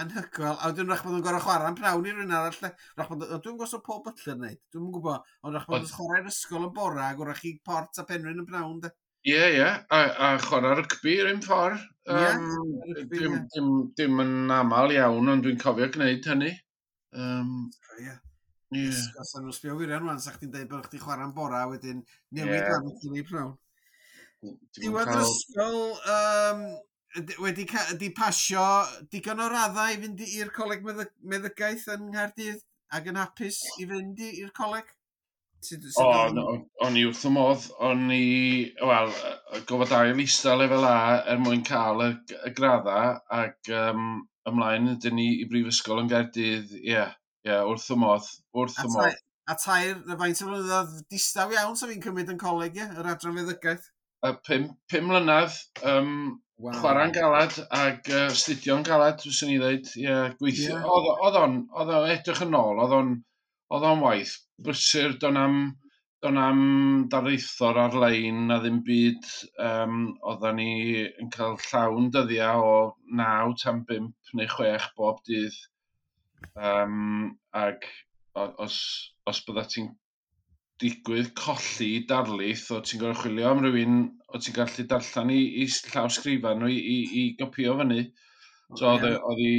Anhygoel. A wedyn wrach bod nhw'n gorfod chwarae am pnawn i rywun arall. de. Wrach bod, o, dwi'n gwybod os Paul Butler yn neud. Dwi'm yn gwybod. Ond wrach bod Oedd- nhw'n chwarae'r ysgol yn bora ac wrach i Port a Penrhyn yn pnawn. De. Ie, ie, a, a chwarae rygbi yr un ffordd. Ie, Um, rygbi, dim, ie. dim, dim yn aml iawn, ond dwi'n cofio gwneud hynny. Um, Ie. ie. Os nhw'n sbio wirion rwan, sa chdi'n deud bod chdi chwarae'n bora, wedyn newid Ie. yeah. wan i pnawn. Dim yn Diwedd yr cael- ysgol, um, wedi ca- di pasio digon o raddau i fynd i'r coleg meddyg meddygaeth yn Nghaerdydd ac yn hapus i fynd i- i'r coleg? Sut, sut O, oedd- no, o'n i wrth y modd, o'n i, wel, gofod ail ista lefel A er mwyn cael y, y gradda ac um, ymlaen ydyn ni i Brifysgol yn Gaerdydd, ie, yeah, ie, yeah, wrth y modd, wrth A y modd. tair, a tair, na faint o flynyddoedd distaw iawn sa fi'n cymryd yn coleg, ie, yr adran feddygaeth. A pum, pum mlynedd, um, Wow. chwarae'n galad ac uh, astudio'n galad, fyswn i ddweud, ie, yeah, gweithio. Ie. Oedd oedd o'n, oedd o'n edrych yn ôl, oedd o'n, oedd o'n waith brysur, do'n am, do'n am darlithor ar-lein na ddim byd. Um, oedden ni yn cael llawn dyddiau o naw tan bump neu chwech bob dydd. Um, ac o- os, os bydda ti'n digwydd colli darlith, o ti'n gorfod chwilio am rhywun o ti'n gallu darllen i, i llawsgrifan nhw i, i, i gopio fyny. So oedd Ie. oedd hi,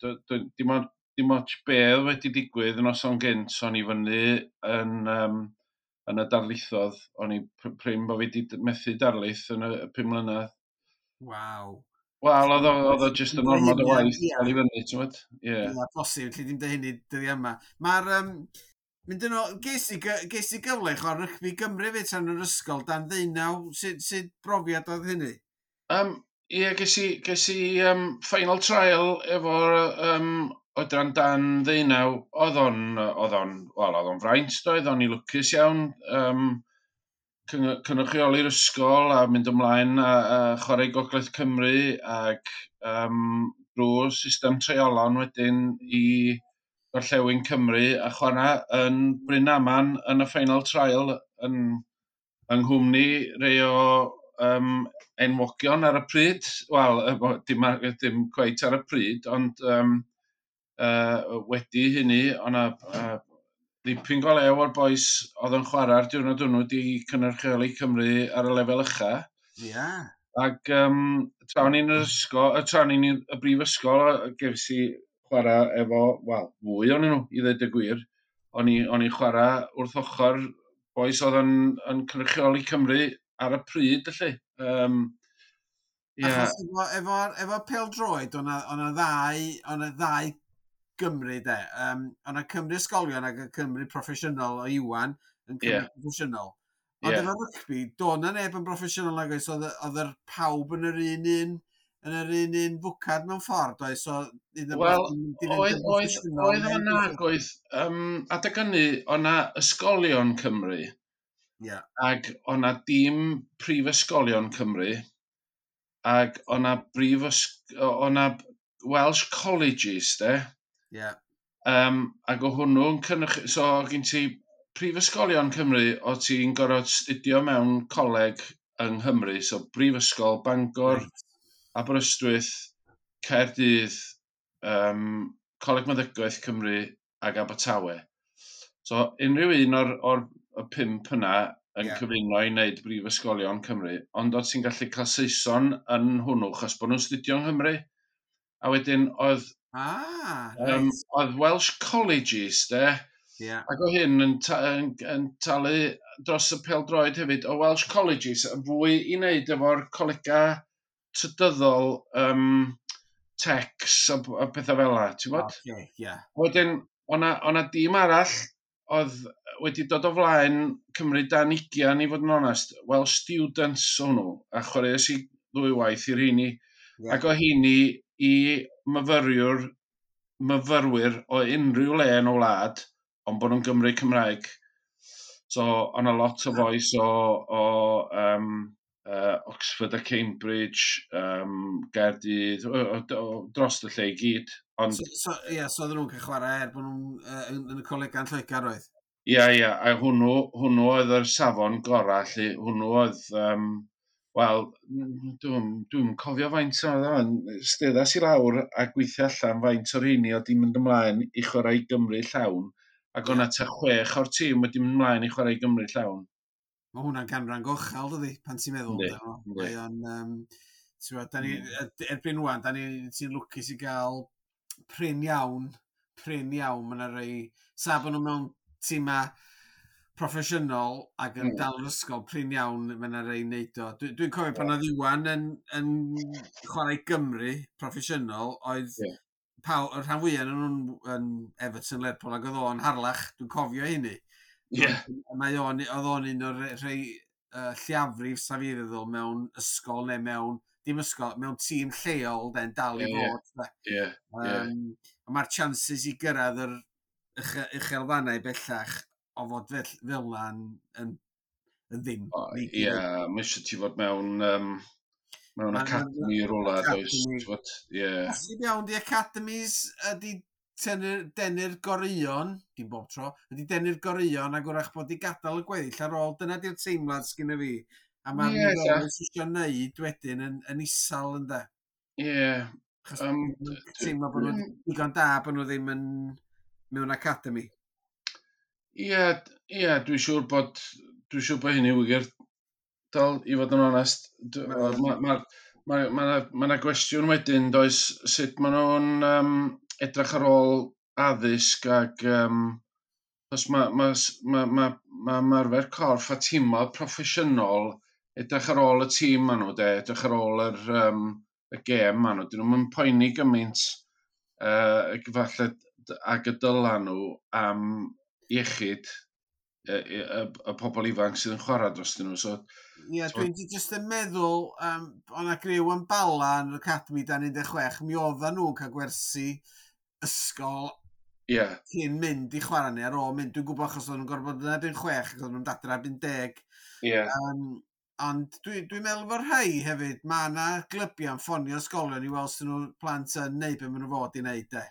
d- d- dim ond dim ots be oedd wedi digwydd yn noson gynt, o'n i fyny yn, um, yn y darlithodd, o'n i pr- prin bod fi wedi methu darlith yn y y pum mlynedd. Waw. Wel, oedd o, oedd o jyst yn ormod o waith Ie. cael i fyny, ti'n gwybod? Ie. Ie, posib, lle ddim dweud hynny dyddi yma. Mae'r... Um, mynd yn ôl, ges i, gy- ges i gyfle i chwarae rygbi Gymru fyd tan yr ysgol dan ddeunaw. Sut, sut brofiad oedd hynny? Um, ie, ges i, ges i um, final trial efo'r um, oedran dan ddeunaw. Oedd o'n, oedd o'n, wel, oedd o'n fraint, doedd, o'n i lwcus iawn. Um, cynrychioli'r ysgol a mynd ymlaen a, a chwarae i Gogledd Cymru ac um, drwy'r system treialon wedyn i Gorllewin Cymru a chwarae yn Brynaman yn y final trial yn, yng nghwmni rei o um, enwogion ar y pryd. Wel, dim, dim cweit ar y pryd, ond um, uh, wedi hynny, o'na uh, ddipyn go lew o'r bois oedd yn chwarae'r diwrnod hwnnw di cynrychioli Cymru ar y lefel ucha. Ie. Yeah. Ac um, tra o'n i'n yr ysgol, tra o'n i'n y brifysgol, gefs i chwarae efo, wel, fwy o'n nhw, i ddweud y gwir. O'n i'n chwarae wrth ochr bois oedd yn, yn cynrychioli Cymru ar y pryd, felly. Um, yeah. Achos efo, efo, efo pêl-droed, o'na ddau, o'na ddau Gymru, de. Um, o'na Cymru ysgolion ac y Cymru proffesiynol o Iwan yn Cymru yeah. proffesiynol. Ond yeah. efo rygbi, do na neb yn broffesiynol nag oes, oedd oedd yr pawb yn yr un un yn yr un un fwcad mewn ffordd, oedd? So, Wel, oedd, oedd, oedd yna, oedd, um, adeg hynny, o'na ysgolion Cymru, yeah. ac o'na dîm prifysgolion Cymru, ac o'na brifysg... o'na Welsh Colleges, de. Yeah. Um, ac o hwnnw'n cynnwch... So, gen ti prifysgolion Cymru, o ti'n gorfod studio mewn coleg yng Nghymru, so Brifysgol Bangor, right. Aberystwyth, Caerdydd, um, Coleg Meddygaeth Cymru ac Abertawe. So unrhyw un o'r, o'r y pump yna yn yeah. cyfuno i wneud brifysgolion Cymru, ond oedd ti'n gallu cael Saeson yn hwnnw, chos bod nhw'n studio yng Nghymru. A wedyn oedd, ah, um, right. oedd Welsh Colleges, de, yeah. ac o hyn yn, ta yn, yn talu dros y pêl-droed hefyd, o Welsh Colleges, yn fwy i wneud efo'r colegau trydyddol, um, techs a, a pethau fel 'na, ti'n bod? Okay, yeah. Wedyn, o'na, o'na dîm arall oedd wedi dod o flaen Cymru dan ugian, i fod yn onest, Welsh Students o'n nhw, a chwaraeais i ddwy waith i'r rheini. Yeah. Ac o heini i myfyriwr, myfyrwyr o unrhyw le yn y wlad, ond bod nhw'n Gymru Cymraeg. So, o'na lot o fois o, o um, uh, Oxford a Cambridge, um, Gaerdydd, o, o, o, dros y lle i gyd. Ond, So, so, yeah, so oedden nhw'n cael chwarae er bod nhw'n uh, yn, yn y coleg yn Lloegr oedd? Ia, ia, a hwnnw, hwnnw oedd yr safon gorau, lle hwnnw oedd, um, wel, dwi'n dwi cofio faint oedd o'n, steddas i lawr a gweithio allan faint o'r rheini oedd di mynd ymlaen i chwarae i Gymru llawn, ac o'na tua chwech o'r tîm wedi mynd ymlaen i chwarae i Gymru llawn. Mae hwnna'n ganran gochel, dydi, pan ti'n meddwl. Yndi, amdano. yndi. Mae o'n, um, ti'n gwbod, da ni, erbyn wan, da ni, ti'n lwcus i gael prin iawn, prin iawn, mae yna rei, sa bod nhw mewn tîma proffesiynol ac yn Mm. dal yn ysgol, prin iawn, mae yna rei neud o. Dwi, dwi'n cofio pan oedd Iwan yn, yn chwarae Gymru proffesiynol, oedd Ie. paw, y rhan fwyaf yn nhw'n yn Everton, Lerpwl, ac oedd o'n Harlech, dwi'n cofio hynny. Ie, Mae o'n, oedd o'n un o'r rhai uh, lliafrif sa fi feddwl mewn ysgol neu mewn, dim ysgol, mewn tîm lleol den dal i Ie, ie. fod. de. ie, ie. Um, Mae'r chances i gyrraedd yr uche- uchelfannau bellach o fod fel, fel 'na yn, yn, yn ddim. O, Ie, mae eisiau ti fod mewn, um, mewn Ma' 'na- academy rwla, does, academy. ti'n bod, ie. Posib iawn di academies ydi tynnu'r- denu'r goreuon, dim bob tro, ydi denu'r goreuon ac wrach bod i gadael y gweddill ar ôl. Dyna di'r teimlad sgynna fi. A mae'r Ie, ella. niferoedd sydd eisiau neud wedyn yn, yn isal ynde. Ie, Achos Yym, um, teimlo bod nhw'n digon da bod nhw ddim yn mewn academy. Ie, ie, dwi'n siŵr bod, dwi'n siŵr bod hynny wir, dal, i fod yn onest. Mae ma, ma, ma, ma, ma 'na gwestiwn wedyn, does, sut maen nhw'n um, edrych ar ôl addysg ac, um, os mae ma, ma, ma, ma ymarfer corff a tîmoedd proffesiynol edrych ar ôl y tîm maen nhw, de, edrych ar ôl yr, um, y gêm maen nhw. Dyn nhw'n poeni gymaint uh, falle ag y dyla nhw am iechyd y, y, y, y pobl ifanc sydd yn chwarae dros nhw. So, Ie, So- dwi'n jyst yn meddwl, um, o'na griw yn Bala yn yr Academy dan un deg chwech, mi oedden nhw'n cael gwersi ysgol ie, yeah, cyn mynd i chwarae neu ar ôl mynd. Dwi'n gwybod achos oedden nhw'n gorfod bod yn erbyn chwech ac oedden nhw'n dadra erbyn deg. ie, yeah. Um, ond dwi'n dwi meddwl fod rhai hefyd, mae yna glybiau'n ffonio ysgolion i weld sy'n nhw plant yn neud be maen nhw fod i wneud de.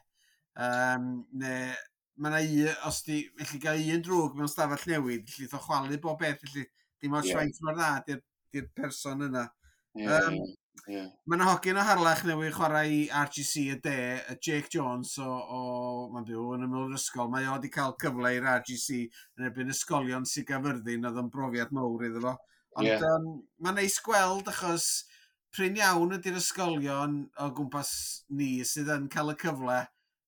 Um, neu Mae yna un, os di, felly gael un drwg mewn stafell newid, felly o chwalu bob beth, felly dim ots Ie. faint mor dda di'r di'r person yna. Ie, Yym, ie, ie. Mae yna hogyn o Harlech newydd chwarae i R G C y De, y Jake Jones o, o mae'n byw yn ymyl yr ysgol. Mae o wedi cael cyfle i'r R G C yn erbyn ysgolion Sir Gaerfyrddin, oedd yn brofiad mawr iddo fo. Ond Ie. um, mae'n neis gweld achos prin iawn ydy'r ysgolion o gwmpas ni sydd yn cael y cyfle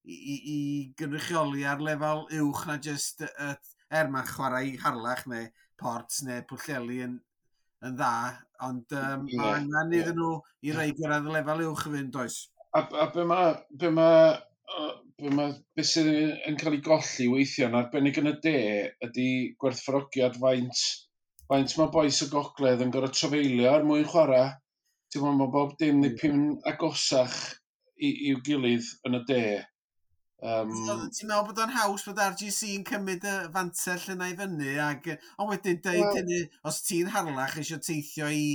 i, i, i gynrychioli ar lefel uwch na jyst uh, er mae'n chwarae i Harlech neu Port neu Pwllheli yn, yn dda, ond um, Ie, mae angen ie. iddyn nhw i rei gyrraedd y lefel uwch i fynd, oes? A, a be ma, be ma, uh, be ma, be sydd yn cael ei golli weithiau yn arbennig yn y de ydy gwerthfawrogiad faint, faint mae bois y gogledd yn gorfod trafeilio er mwyn chwarae. Ti'n gwybod, mae bob dim dipyn agosach i, i'w gilydd yn y de. Um, Ti'n meddwl bod o'n haws bod R G C yn cymryd y fantell yna i fyny, ac, ond wedyn deud Wel- hynny, os ti'n Harlech eisiau teithio i,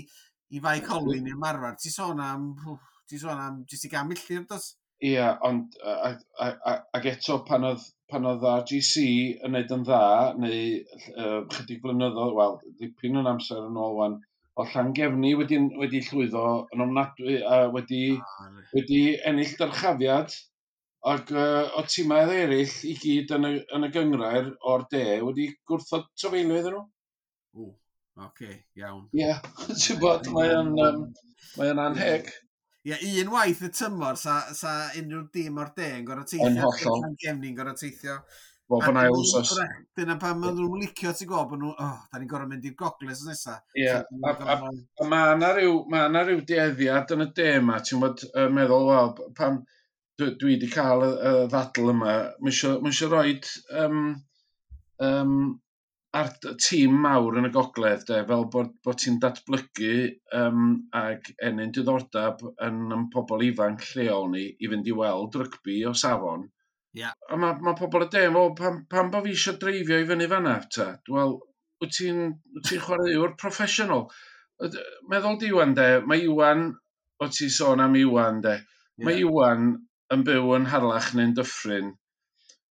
i Fae Colwyn neu Marfar, ti'n sôn am, ti'n sôn am jyst i gan milltir, dos? Ia, ond a, a, a, ac eto pan oedd, pan oedd R G C yn neud yn dda, neu uh, chydig blynyddoedd, wel, dipyn yn amser yn ôl wan, o Llangefni wedi, wedi llwyddo yn ofnadwy a wedi, wedi ennill dyrchafiad ac uh, o tîmau eraill i gyd yn y, yn y gynghrair o'r de wedi gwrthod trafeilio iddyn nhw. Ww, oce, iawn. Ie, yeah, ti'n bod, mae o'n um, mae o'n anheg. Ie, un waith y tymor, sa, sa unrhyw dîm o'r de yn gorfod teithio. Yn hollol. Llangefni'n gorfod teithio. Bob yn ail wsos. Dyna pam maen nhw'n licio, ti'n gwybod, bod nhw, oh, da ni'n gorfod mynd i'r gogledd wsos nesa. Ie, a, a, a mae yna ryw, ma 'na ryw dueddiad yn y de yma, ti'n bod, uh, meddwl, wel, pam dwi, dwi wedi cael y, y ddadl yma, mae eisiau, ma eisiau rhoid um, um, ar tîm mawr yn y gogledd, de, fel bod, bod ti'n datblygu um, ag ennyn diddordeb yn, yn pobl ifanc lleol ni i fynd i weld rygbi o safon. Ie. A mae ma pobl y de, wel, pam, pam bo fi eisiau dreifio i fyny fanna, ta? Wel, wyt ti'n wyt ti'n chwaraewr proffesiynol? Yd- Meddwl di Iwan, de, mae Iwan, o ti sôn am Iwan, de, mae Iwan yn byw yn Harlech neu'n Dyffryn.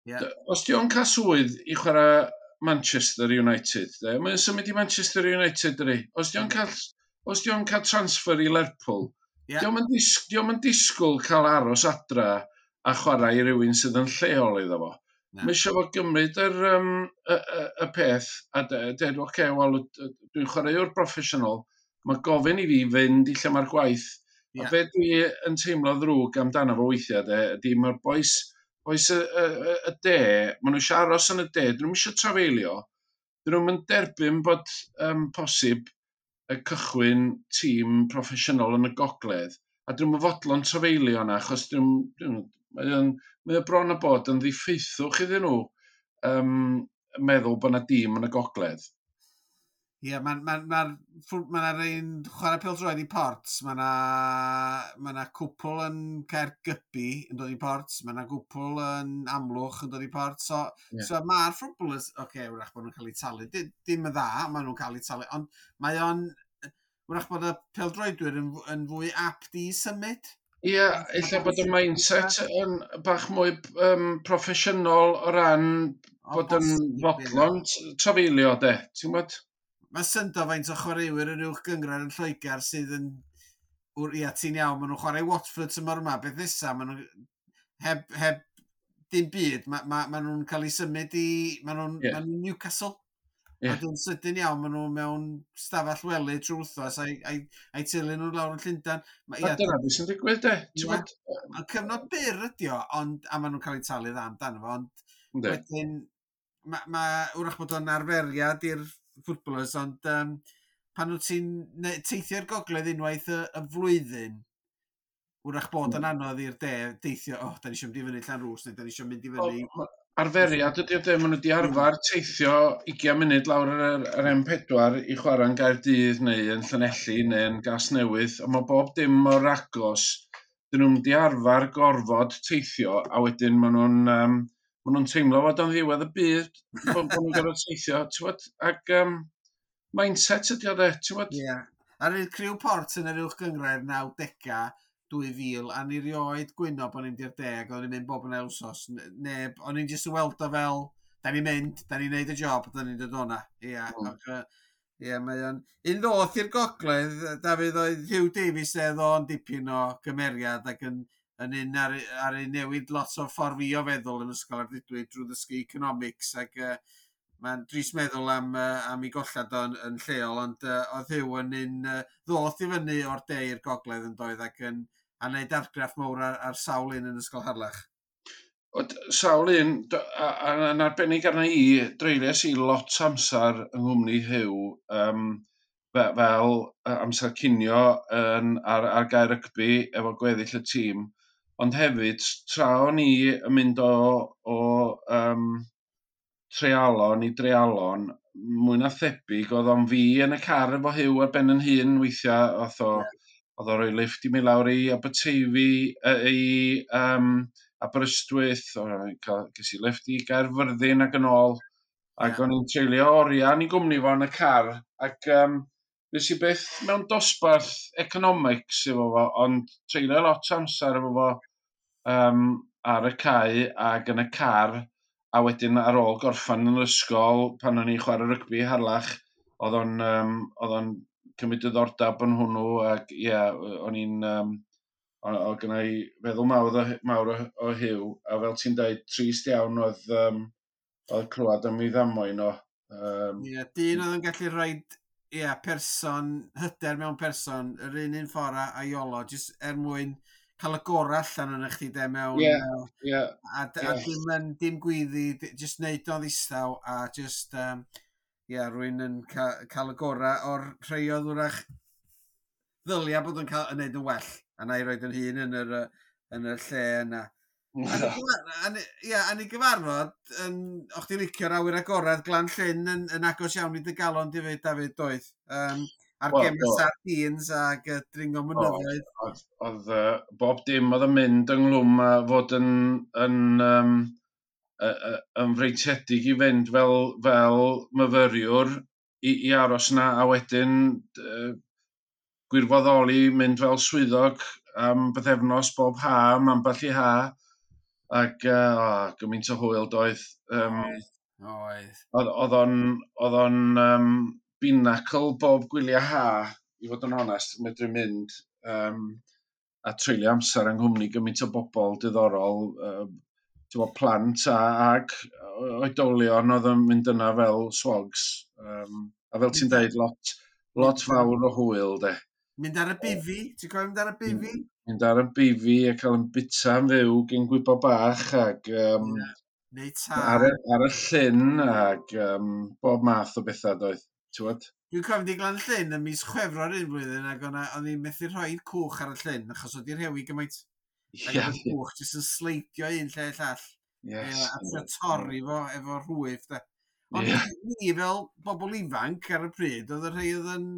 Ie. D- Os di o'n cael swydd i chwarae Manchester United, de, mae'n symud i Manchester United, dydi? Os di o'n cael, os di o'n cael transfer i Lerpwl, Ie. di o'm yn dis, di o'm yn disgwyl cael aros adra a chwarae i rywun sydd yn lleol iddo fo. Na. Mae eisiau fo gymryd yr, um, y, y, y peth a de- deud, oce, okay, wel, dwi'n chwaraewr proffesiynol, mae gofyn i fi fynd i lle mae'r gwaith. Ie. A be dwi yn teimlo ddrwg amdano fo weithiau, de, ydy mae'r bois, bois y, y, y, y de, maen nhw eisiau aros yn y de, dyn nhw'n eisiau trafeilio, dyn nhw'n mynd derbyn bod um, posib y cychwyn tîm proffesiynol yn y gogledd, a dyn nhw'n fodlon trafeilio yna, achos dyn nhw'n, mae o'n, mae o bron a bod yn ddiffeithwch iddyn nhw um, meddwl bod yna dîm yn y gogledd. Ie, mae'n ma, ma, ma, ma un chwarae pêl-droed i Port, mae yna ma 'na cwpl yn Caergybi yn dod i Port, mae yna gwpl yn Amlwch yn dod i Port, so, Ie. so mae'r footballers, oce, okay, wrach bod nhw'n cael eu talu, Di- dim yn dda, maen nhw'n cael eu talu, ond mae o'n, wrach bod y pêl-droedwyr yn, yn fwy apt i symud. Ie, ella bod y mindset yn bach mwy um, proffesiynol o ran O bod yn bosib, ie. fodlon t- trafeilio, de. Ti'n gwybod? Mae syndod faint o chwaraewyr yn uwch gynghrair yn Lloegr sydd yn... wr- Ia, ti'n iawn, maen nhw'n chwarae Watford tymor yma, beth nesa, maen nhw heb, heb dim byd, mae ma, ma nhw'n cael eu symud i... Maen nhw'n Ie. ma nhw'n Newcastle. Ie. A dyn sydyn iawn, maen nhw mewn stafell wely trwy wythnos a'i, a'i, a'i teulu nhw lawr yn Llundain. Ma, A ia, dyna beth sy'n digwydd, de. Ti'n Ie. gwybod? ma' cyfnod byr ydi o, ond, a maen nhw'n cael eu talu dda amdano fo, ond Yndi. wedyn, mae, ma, wrach bod o'n arferiad i'r footballers, ond um, pan wyt ti'n ne- teithio'r gogledd unwaith y, y flwyddyn, wrach bod yn anodd i'r de deithio, oh, da ni eisiau mynd i fyny Llanrwst, neu da ni eisiau mynd i fyny. O, ma- Arferiad ydy o, de, maen nhw wedi arfer teithio ugain munud lawr yr, yr M pedwar i chwarae yn Gaerdydd neu yn Llanelli neu yn Gasnewydd, a mae bob dim mor agos. Dyn nhw'n wedi arfer gorfod teithio, a wedyn maen nhw'n um, maen nhw'n teimlo fod o'n ddiwedd y byd bod, bod nhw'n gorfod teithio, ti'n gwbod? Ac um, mindset ydy o, de, ti'n gwbod? Ie. Yeah. Ar y criw Port yn yr uwch gynghrair nawdegau, dwy fil, a ni rioed gwyno bod ni'n mynd i'r de, ac o'n i'n mynd bob yn ail wsos. Neb, o'n i'n jyst yn weld o fel, da ni'n mynd, da ni'n neud y job, da ni'n dod o'na. Ia, mm. Ac, ia, mae o'n... Un ddoth i'r gogledd, Dafydd, oedd Hugh Davies e, o'n dipyn o gymeriad ac yn, yn un ar, ar ei newid lot o ffordd fi o feddwl yn Ysgol Ardudwy drwy ddysgu economics ac uh, mae'n drist meddwl am, uh, am ei gollad o'n yn lleol, ond uh, oedd Hugh yn un uh, ddoth i fyny o'r de i'r gogledd yn doedd ac yn a wneud argraff mawr ar, ar sawl un yn Ysgol Harlech. Oedd sawl un, a, a, yn arbennig arna i, dreuliais i lot amser yng nghwmni Hugh, um, fe, fel amser cinio yn, ar, ar gae rygbi efo gweddill y tîm, ond hefyd, tra o'n i yn mynd o, o um, treialon i dreialon, mwy na thebyg, oedd o'n fi yn y car efo Hugh ar ben yn hun weithiau, oedd o, oedd o roi lift i mi lawr i Aberteifi, i um, Aberystwyth, ges i lift i Gaerfyrddin ac yn ôl, ac yeah. o'n i'n treulio oriau yn ei gwmni fo yn y car, ac um, nes i byth mewn dosbarth economics efo fo, ond treulio lot o amser efo fo um, ar y cae ac yn y car, a wedyn ar ôl gorffan yn yr ysgol, pan o'n i'n chwarae rygbi Harlech, oedd o'n, um, oedd o'n cymryd diddordeb yn hwnnw, ac ie, yeah, o'n i'n, um, oedd gynna i feddwl mawr o, mawr o, o Hugh, a fel ti'n dweud, trist iawn oedd, um, oedd clywed am ei ddamwain o. Um, yeah, dyn oedd yn gallu rhoi, yeah, person, hyder mewn person, yr un un ffordd a Iolo, jyst er mwyn cael y gorau allan yn chdi de mewn... Yeah, yeah, a, a yeah. dim, yn, dim gwyddi, jyst neud o'n ddistaw a jyst, um, yeah, rwy'n yn ca cael y gorau o'r rhai oedd wrach ddylia bod yn cael yn neud yn well. A na i roed yn hun yn yr, yn yr lle yna. A ia, a ni gyfarfod, yn, o'ch ti'n licio'r awyr agorad Glan Llyn yn, yn agos iawn i dy galon di fyd, Dafydd, doedd. Um, a'r well, gem sardines ac uh, dringo mynyddoedd. Oedd, oedd uh, bob dim oedd yn mynd ynghlwm a fod yn, yn, um, uh, yn freintiedig i fynd fel, fel myfyriwr i, i aros na, a wedyn uh, gwirfoddoli mynd fel swyddog am bythefnos bob ha, am ambell i ha, ac uh, oh, gymaint o hwyl doedd. Um, oedd. Oedd o'n, oedd o'n um, binacl bob gwyliau ha, i fod yn onest, medru mynd um, a treulio amser yng nghwmni gymaint o bobl diddorol, um, bod, plant a, ag oedolion oedd yn mynd yna fel swogs. Um, a fel ti'n deud, lot, lot fawr o hwyl, de. Mynd ar y bifi? Ti'n cofio mynd ar y bifi? Mynd ar y bifi a cael yn bita yn fyw gyn gwybo bach ac um, yeah. Neu tân. Ar, y, ar y llyn ac um, bob math o bethau doedd. Ti'n Dwi'n cofio di Glan Llyn ym mis Chwefror un blwyddyn ac o'n i'n methu rhoi cwch ar y llyn achos oedd i'r rhewi gymaint. Ac yeah, oedd y cwch jyst yn sleidio un lle llall. Yes. A trio torri fo efo rhwyf. De. Ond yeah. ni fel bobl ifanc ar y pryd, oedd y rhai oedd yn,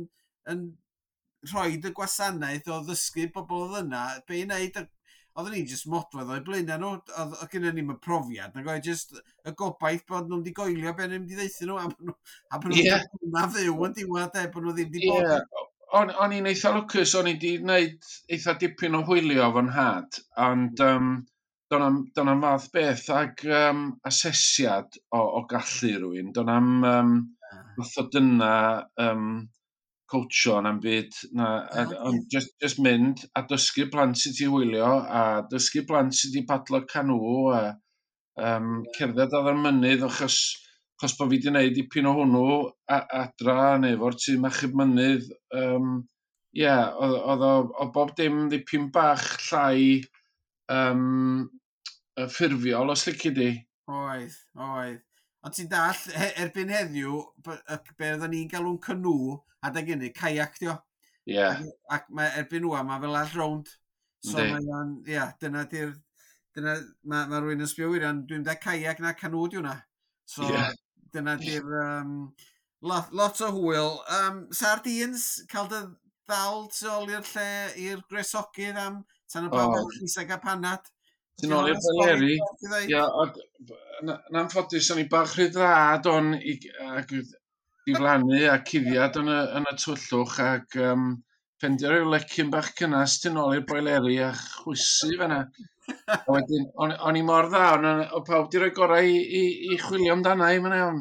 yn rhoi y gwasanaeth o ddysgu bobl oedd yna, be i wneud, oedden ni jyst modfedd o'i blaenau nhw, oedd oedd gynnon ni'm y profiad, nag oedd jyst y gobaith bod nhw'n di goelio be nhw'n di ddeuthu nhw, a bod nhw, a bod nhw'n yeah. na fyw yn diwedd, e, bod nhw ddim di bod. Yeah. O'n, o'n i'n eitha lwcus, o'n i di wneud eitha dipyn o hwylio fo'n nhad, ond um, do'n am, do'n am fath beth ag um, asesiad o, o gallu rhywun, do'n am um, fath o dyna um, coachio na'n byd, na, a, ond just, just mynd a dysgu plant sut i hwylio, a dysgu plant sut i padlo canw, a um, cerdded ar y mynydd, achos, achos bod fi wedi gwneud dipyn o hwnnw a, adra neu efo'r tîm achub mynydd. Um, yeah, oedd, oedd, oedd bob dim dipyn bach llai um, ffurfiol, os lici di. Oedd, oedd. Ond ti'n dall, he, erbyn heddiw, be oedden ni'n galw'n canŵ, adeg hynny, kayak dio. Ie. Yeah. Ac, ac mae erbyn ŵan, mae fel all rownd. So mae o'n, ia, dyna di'r, dyna, mae ma rhywun yn sbio wirion, dwi'n dweud kayak na canŵ di hwnna. So, yeah. dyna di'r, um, lot, lot o hwyl. Um, sardines, cael dy ddal tu ôl i'r lle i'r gresogydd am tan y bawb oh. Lisa a panad. Ti'n ôl i'r Beleri. Ia, yn anffodus, o'n i bach rhy dda don i, ac diflannu a cuddiad yn y, yn y tywyllwch ac um, Ffendio rhyw lecyn bach cynnas tu nôl i'r boileri a chwysu fan'na. A wedyn, o'n, o'n i mor dda, o'n, o pawb di rhoi gorau i, i, i chwilio amdana i, mae'n iawn.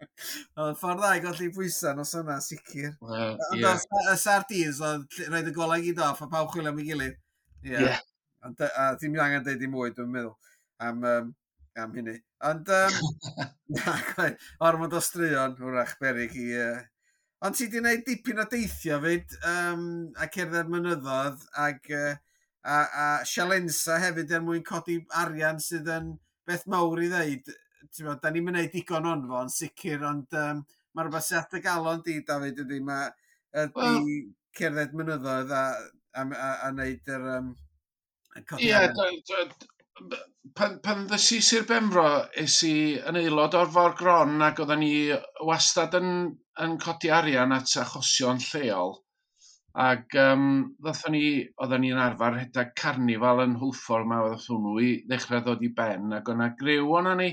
Oedd yn ffordd dda i golli pwysau nos yna, sicr. Wel, Ond ie. os y sardines, oedd rhaid y golau gyd off a pawb chwilio am ei gilydd. Ie. Ie. Ond, a ti'n angen deud i mwy, dwi'n meddwl, am, um, am hynny. Ond, um, na, gwaith, ormod o straeon, wrach, berig i... Uh... Ond ti di wneud dipyn o deithio fyd, um, a cerdded mynyddoedd, ag, uh, a, a sialensa hefyd er mwyn codi arian sydd yn beth mawr i ddeud. Ti'n bod, da ni'n mynd digon o'n fo, yn sicr, ond um, mae rhywbeth sy'n at y galon di, David, ydy, mae ydy Wel- cerdded mynyddoedd a, a, a, a wneud yr... Um, codi Ie, arian. da- da- pan, pan ddes i Sir Benfro, es i yn aelod o'r Fôr Gron ac oedden ni wastad yn, yn codi arian at achosion lleol. Ac um, ddothon ni, oedden ni'n arfer rhedeg carnifal yn Hwlffordd ma, oedd hwnnw i ddechrau ddod i ben, ac o'na griw o'na ni,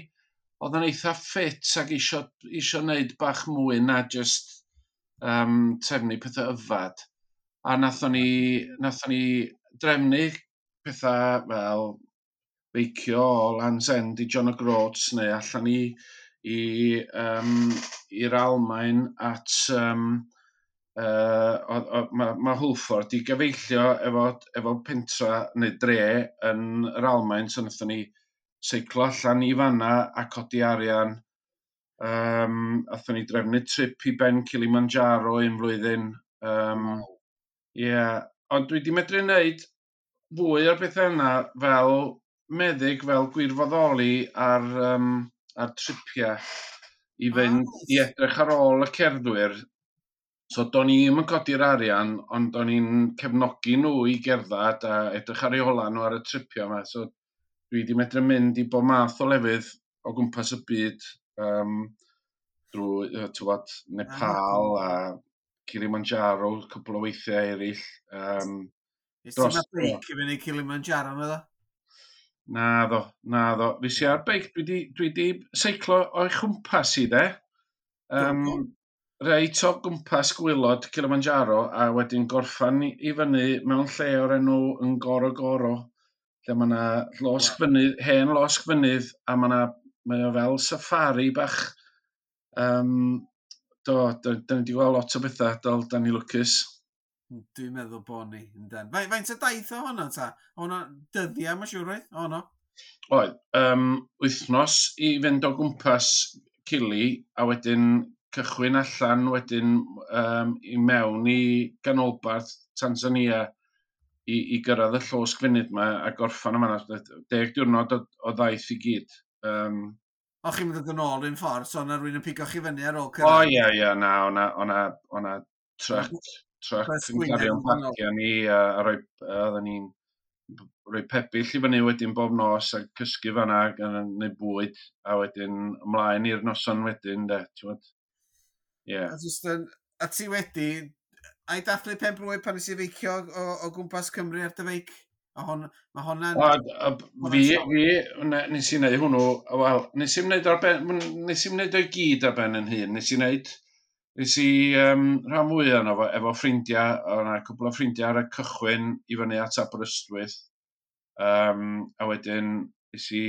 oedd yn eitha ffit ac isio, isio wneud bach mwy na just um, trefnu pethau yfad. A nathon ni, nathon ni drefnu pethau fel beicio o Land's End i John O'Groats neu allan i i um, i'r Almaen at um, uh, mae ma Hwlffordd di gyfeillio efo, efo pentra neu dre yn yr Almaen, so nathon ni seiclo allan i fanna a codi arian. Um, athon ni drefnu trip i ben Kilimanjaro un flwyddyn. Um, Ie, yeah. Ond dwi di medru wneud fwy o'r bethau yna fel meddyg, fel gwirfoddoli ar, um, ar tripiau i fynd Ah, i edrych ar ôl y cerddwyr. So do'n i'm yn codi'r arian, ond do'n i'n cefnogi nhw i gerdded a edrych ar eu hola nhw ar y tripiau yma. So dwi di medru mynd i bob math o lefydd o gwmpas y byd, um, drwy, yy, t'wod, Nepal a Kilimanjaro, cwpl o weithiau eraill. Um, Nes ti dros ma beic i fyny Kilimanjaro, meddwl? Na ddo, na ddo. Fes i ar beic, dwi di, dwi di seiclo o'i chwmpas i de. Um, reit o gwmpas gwaelod Kilimanjaro a wedyn gorffan i, i fyny mewn lle o'r enw Ngorongoro, lle mae yna losg fynydd, hen losg fynydd, a mae yna, mae o fel safari bach. Um, do, da, da ni wedi gweld lot o bethau, do, da ni lwcus. Dwi'n meddwl bod ni, yndan. Faint, faint o daith o hwnna ta? Hwnna dyddiau, mae'n siŵr oedd? O, no. Oedd, um, wythnos i fynd o gwmpas Cili, a wedyn cychwyn allan wedyn um, i mewn i ganolbarth Tanzania i, i gyrraedd y llosg fynydd yma a gorffan yma. Deg diwrnod o, o ddaith i gyd. Um, O, chi'n mynd yn ôl un ffordd, so yna rhywun yn pigo chi fyny ar ôl o cyrraedd. ie, ie, na, o'na, o'na, o'na truck, truck Bus yn Gwynedd cario'n yn ôl. bagiau ni, a, a rhoi, a oedden ni'n rhoi pebyll i fyny wedyn bob nos a cysgu fan'na ac yn neud bwyd, a wedyn ymlaen i'r noson wedyn, de, ti'n gwbod? Ie. A, jyst yn, a ti wedi, ai dathlu pen blwydd pan nes i feicio o, o gwmpas Cymru ar dy feic? A hon, mae hwnna'n... O, a, fi, fi, ne- nes i wneud hwnnw, wel, nes i'm wneud ar ben, nes i'm wneud o'i gyd ar ben yn hun, nes i wneud, nes i um, rhan fwyaf yno fo, efo ffrindiau, o'na cwpl o ffrindiau ar y cychwyn i fyny at Aberystwyth, um, a wedyn nes i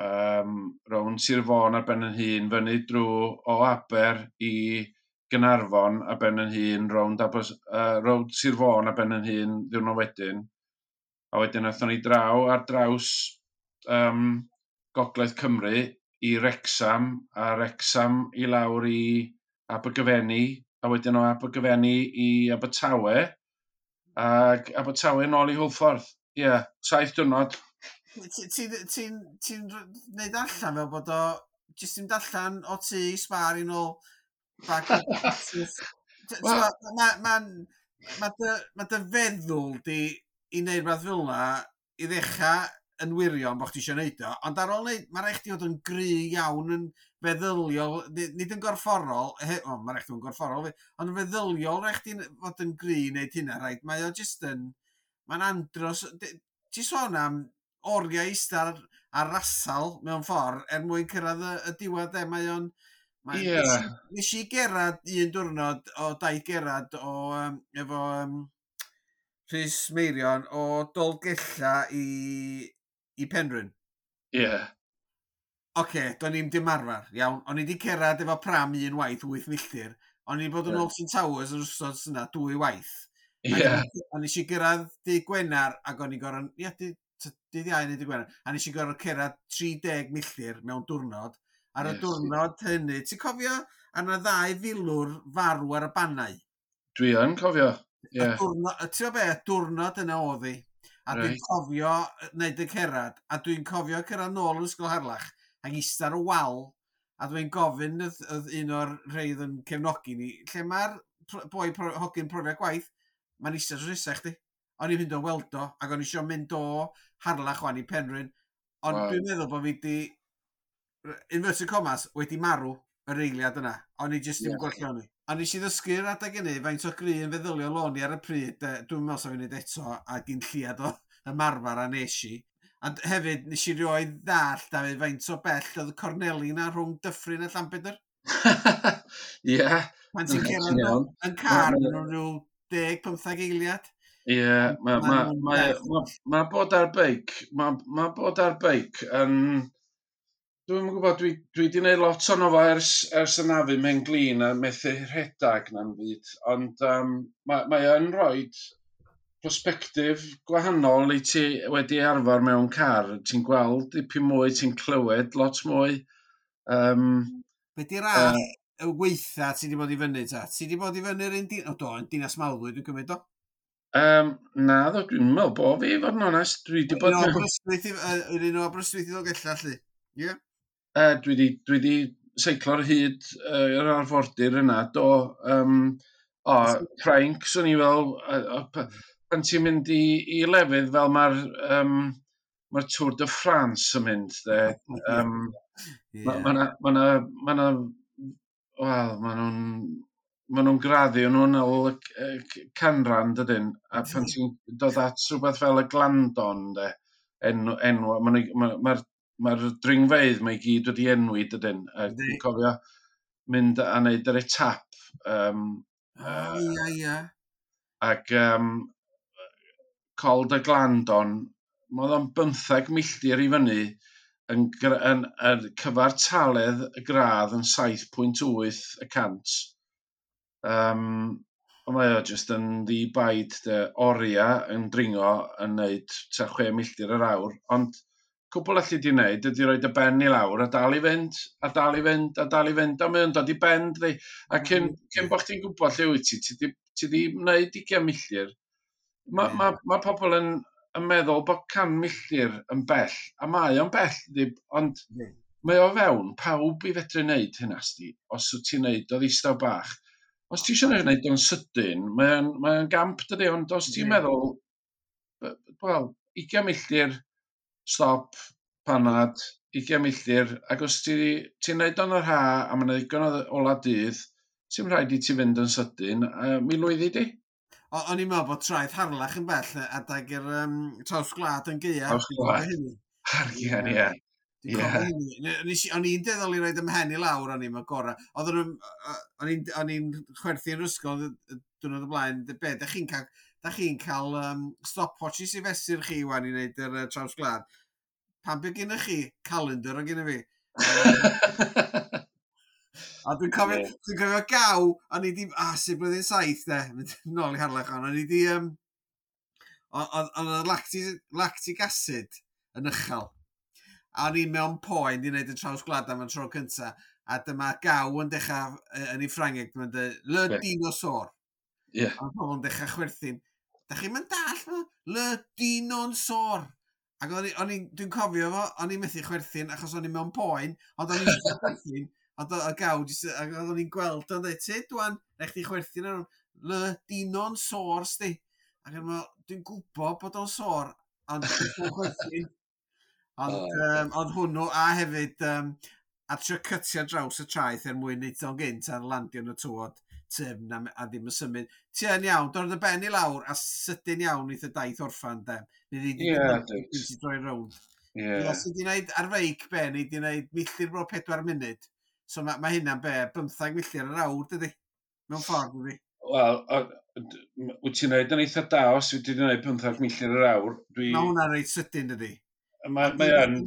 um, rownd Sir Fôn ar ben yn hun, fyny drwy o Aber i Gaernarfon ar ben yn hun, rownd, Aber, uh, rownd Sir Fôn ar ben yn hun ddiwrnod wedyn. A wedyn aethon ni draw ar draws um, Gogledd Cymru i Wrecsam, a Wrecsam i lawr i Abergyfenni, a wedyn o Abergyfenni i Abertawe, ac Abertawe nôl i Hwlffordd. Ie, yeah, saith diwrnod. Ti'n ti, ti, ti neud allan fel bod o... Jyst yn allan o tŷ i sbar i nôl bag o Wel- Mae ma, ma dy, ma dy feddwl di i wneud rhywbeth fel yna i ddechrau yn wirion bod chdi eisiau neud o, ond ar ôl neud, mae rhaid chdi fod yn gry iawn yn feddyliol, nid nid yn gorfforol, he, o, mae rhaid chdi fod yn gorfforol, fi, ond yn feddyliol rhaid chdi fod yn gry i wneud hynna, rhaid. Mae o jyst yn, mae'n andros, di- ti sôn am oriau eistedd ar, ar rasal mewn ffordd er mwyn cyrraedd y, y diwedd e, mae o'n... Mae, Ie. Nes, i- nes i gerad un diwrnod o daith gerad o um, efo um, Rhys Meirion o Dolgella i, i Penrhyn. Ie. Yeah. Oce, okay, do'n i'm dim arfer, iawn. O'n i wedi cerdded efo pram un waith, wyth milltir. O'n i wedi bod yn yeah. Alton Towers yn wrthnos yna dwy waith. Ie. Yeah. A nes i gyrraedd dydd Gwener ac o'n i gorau... Ie, dydd Iau neu dydd Gwener. A nes i gorau cerdded tri deg milltir mewn diwrnod. Ar y yes. diwrnod hynny, ti'n cofio ar yna ddau filwr farw ar y bannau? Dwi yn cofio, ie. Yeah. Ti'n gwybod be, y diwrnod yna oedd hi. A right. Dwi'n cofio wneud y cerdded, a dwi'n cofio cyrraedd nôl yn Ysgol Harlech, ac eistedd ar y wal, a dwi'n gofyn oedd, oedd un o'r rhai oedd yn cefnogi ni, lle mae'r boi pro, hogyn profiad gwaith, mae'n eistedd drws nesa chdi. O'n i'n mynd o weld o, ac o'n i eisiau mynd o Harlech wan i Penrhyn. Ond wow. Dwi'n meddwl bod fi di, inverted commas, wedi marw yr eiliad yna. O'n i jyst ddim yeah. gweld lle o'n i. A nes i ddysgu'r adeg hynny, faint o gry yn feddyliol o'n i ar y pryd, dwi'n meddwl sa fi'n neud eto, a gyn lliad o ymarfer a nes i. A hefyd, nes i rioed ddallt, Dafydd, faint o bell oedd y corneli na rhwng Dyffryn a Llanbedr. Ie. Pan ti'n cerdded yn car, maen nhw'n rhyw deg, pymtheg eiliad. Ie, mae ma, ma, ma, ma bod ar beic, mae ma bod ar beic yn... Dwi'm yn gwybod, dwi, dwi wedi gwneud lot ono fo ers, ers anafu mewn glin a methu rhedag na'n byd, ond um, mae, mae yn rhoi perspectif gwahanol i ti wedi arfer mewn car. Ti'n gweld dipyn mwy, ti'n clywed lot mwy. Um, Be di'r ras uh, y weitha ti wedi bod i fyny ta? Ti wedi bod i fyny'r un din... O do, yn Dinas Mawddwy, dwi'n cymryd o? Um, na, ddo, dwi'n meddwl bo fi, fod yn onest. Dwi wedi bod... Yr un o Aberystwyth i Ddolgellau, lly. Ie? Yeah. Uh, dwi wedi dwi wedi seiclo'r hyd uh, yr arfordir yna, do. Um, o, Ffrainc, swn i fel, uh, uh, pan ti'n mynd i, i lefydd fel mae'r um, mae'r Tour de France yn mynd, de. Um, yeah. Mae ma na, ma na, ma na, wel, ma nhw'n ma nhw'n graddio nhw'n ôl y canran, dydyn? A pan ti'n dod at rhywbeth fel y Glandon, de, enw, enw, mae'r ma, ma, mae'r dringfeydd mae i gyd wedi enwi, dydyn? A dwi'n cofio mynd a wneud yr etap. Um, oh, ia, ia. Ac um, Col de Glandon, oedd o'n bymtheg milltir i fyny yn, yn, yn cyfartaledd y gradd yn saith pwynt wyth y cant. Um, ond mae o jyst yn ddi-baid de, oria yn dringo yn neud tua chwe milltir yr awr, ond cwbl allu di wneud ydy roid y ben i lawr a dal i fynd, a dal i fynd, a dal i fynd, a mae o'n dod i ben, dydi. A cyn, cyn bod chdi'n gwybod lle wyt ti, ti di, ti di wneud ugain milltir. Mae ma, ma pobl yn, yn meddwl bod can milltir yn bell, a mae o'n bell, dydi, ond mae o fewn pawb i fedru wneud hynna, sti, os wyt ti'n wneud o ddistaw bach. Os ti eisiau wneud o'n sydyn, mae o'n, mae o'n gamp, dydi, ond os ti'n meddwl, wel, ugain milltir, stop, panad, ugain milltir, ac os ti'n ti wneud o'n yr ha, a mae'n ddigon o ola dydd, ti'n rhaid i ti fynd yn sydyn, a mi lwyddi di. O, o'n i'n meddwl bod traeth Harlech yn bell adag yr um, traws gwlad yn gaea. Traws gwlad. Arian, ie. O'n i'n deddol i roed ym mhen i lawr, o'n i'n gorau. O'n i'n chwerthu yn ysgol diwrnod o blaen, be, da chi'n cael, da chi'n cael um, stopwatches i fesur chi wan i wneud yr uh, traws gwlad. Pam be gennych chi? Calendar o gennych fi. A dwi'n cofio, yeah. Dwi'n cofio gaw, o'n i di, ah, sy'n blwyddyn saith de, mynd nôl i Harlech o'n, o'n i di, um, o'n oedd lactic, lactic acid yn uchel. A o'n i mewn poen i wneud y traws gwlad am y tro cynta, a dyma gaw yn dechrau yn ei Ffrangeg, dyma'n dweud, le yeah. dinosaur. Yeah. A pobl yn dechrau chwerthin. Da chi'n mynd dall, le dinosaur. Ac o'n i, o'n i, dwi'n cofio fo, o'n i'n methu chwerthin achos o'n i mewn poen, ond o'n i'n chwerthin, ond y gaw, ac o'n i'n gweld o'n dweud, tyd dwan, na chdi chwerthin ar hwn, le dino'n sôr, sti. Ac o'n meddwl, dwi'n gwybod bod o'n sôr, ond dwi'n chwerthin. Ond, oh, um, ond hwnnw, a hefyd, um, a trio cytio draws y traeth er mwyn neud o'n gynt ar landio yn y tywod tyfn a, a ddim yn symud. Ti yn iawn, dod y ben i lawr a sydyn iawn eitha daith orffan, de. Nid i di droi rownd. Yeah. Os ydi wneud ar feic be, nid i wneud milltir bro pedwar munud. So mae ma hynna'n be, bymthag milltir yr awr, dydi? Mewn ffordd, dydi? Wel, wyt ti'n neud yn eitha da os wyt ti'n neud pymthag milltir yr awr. Dwi... Mae hwnna'n reit sydyn, dydy? Mae mae yn...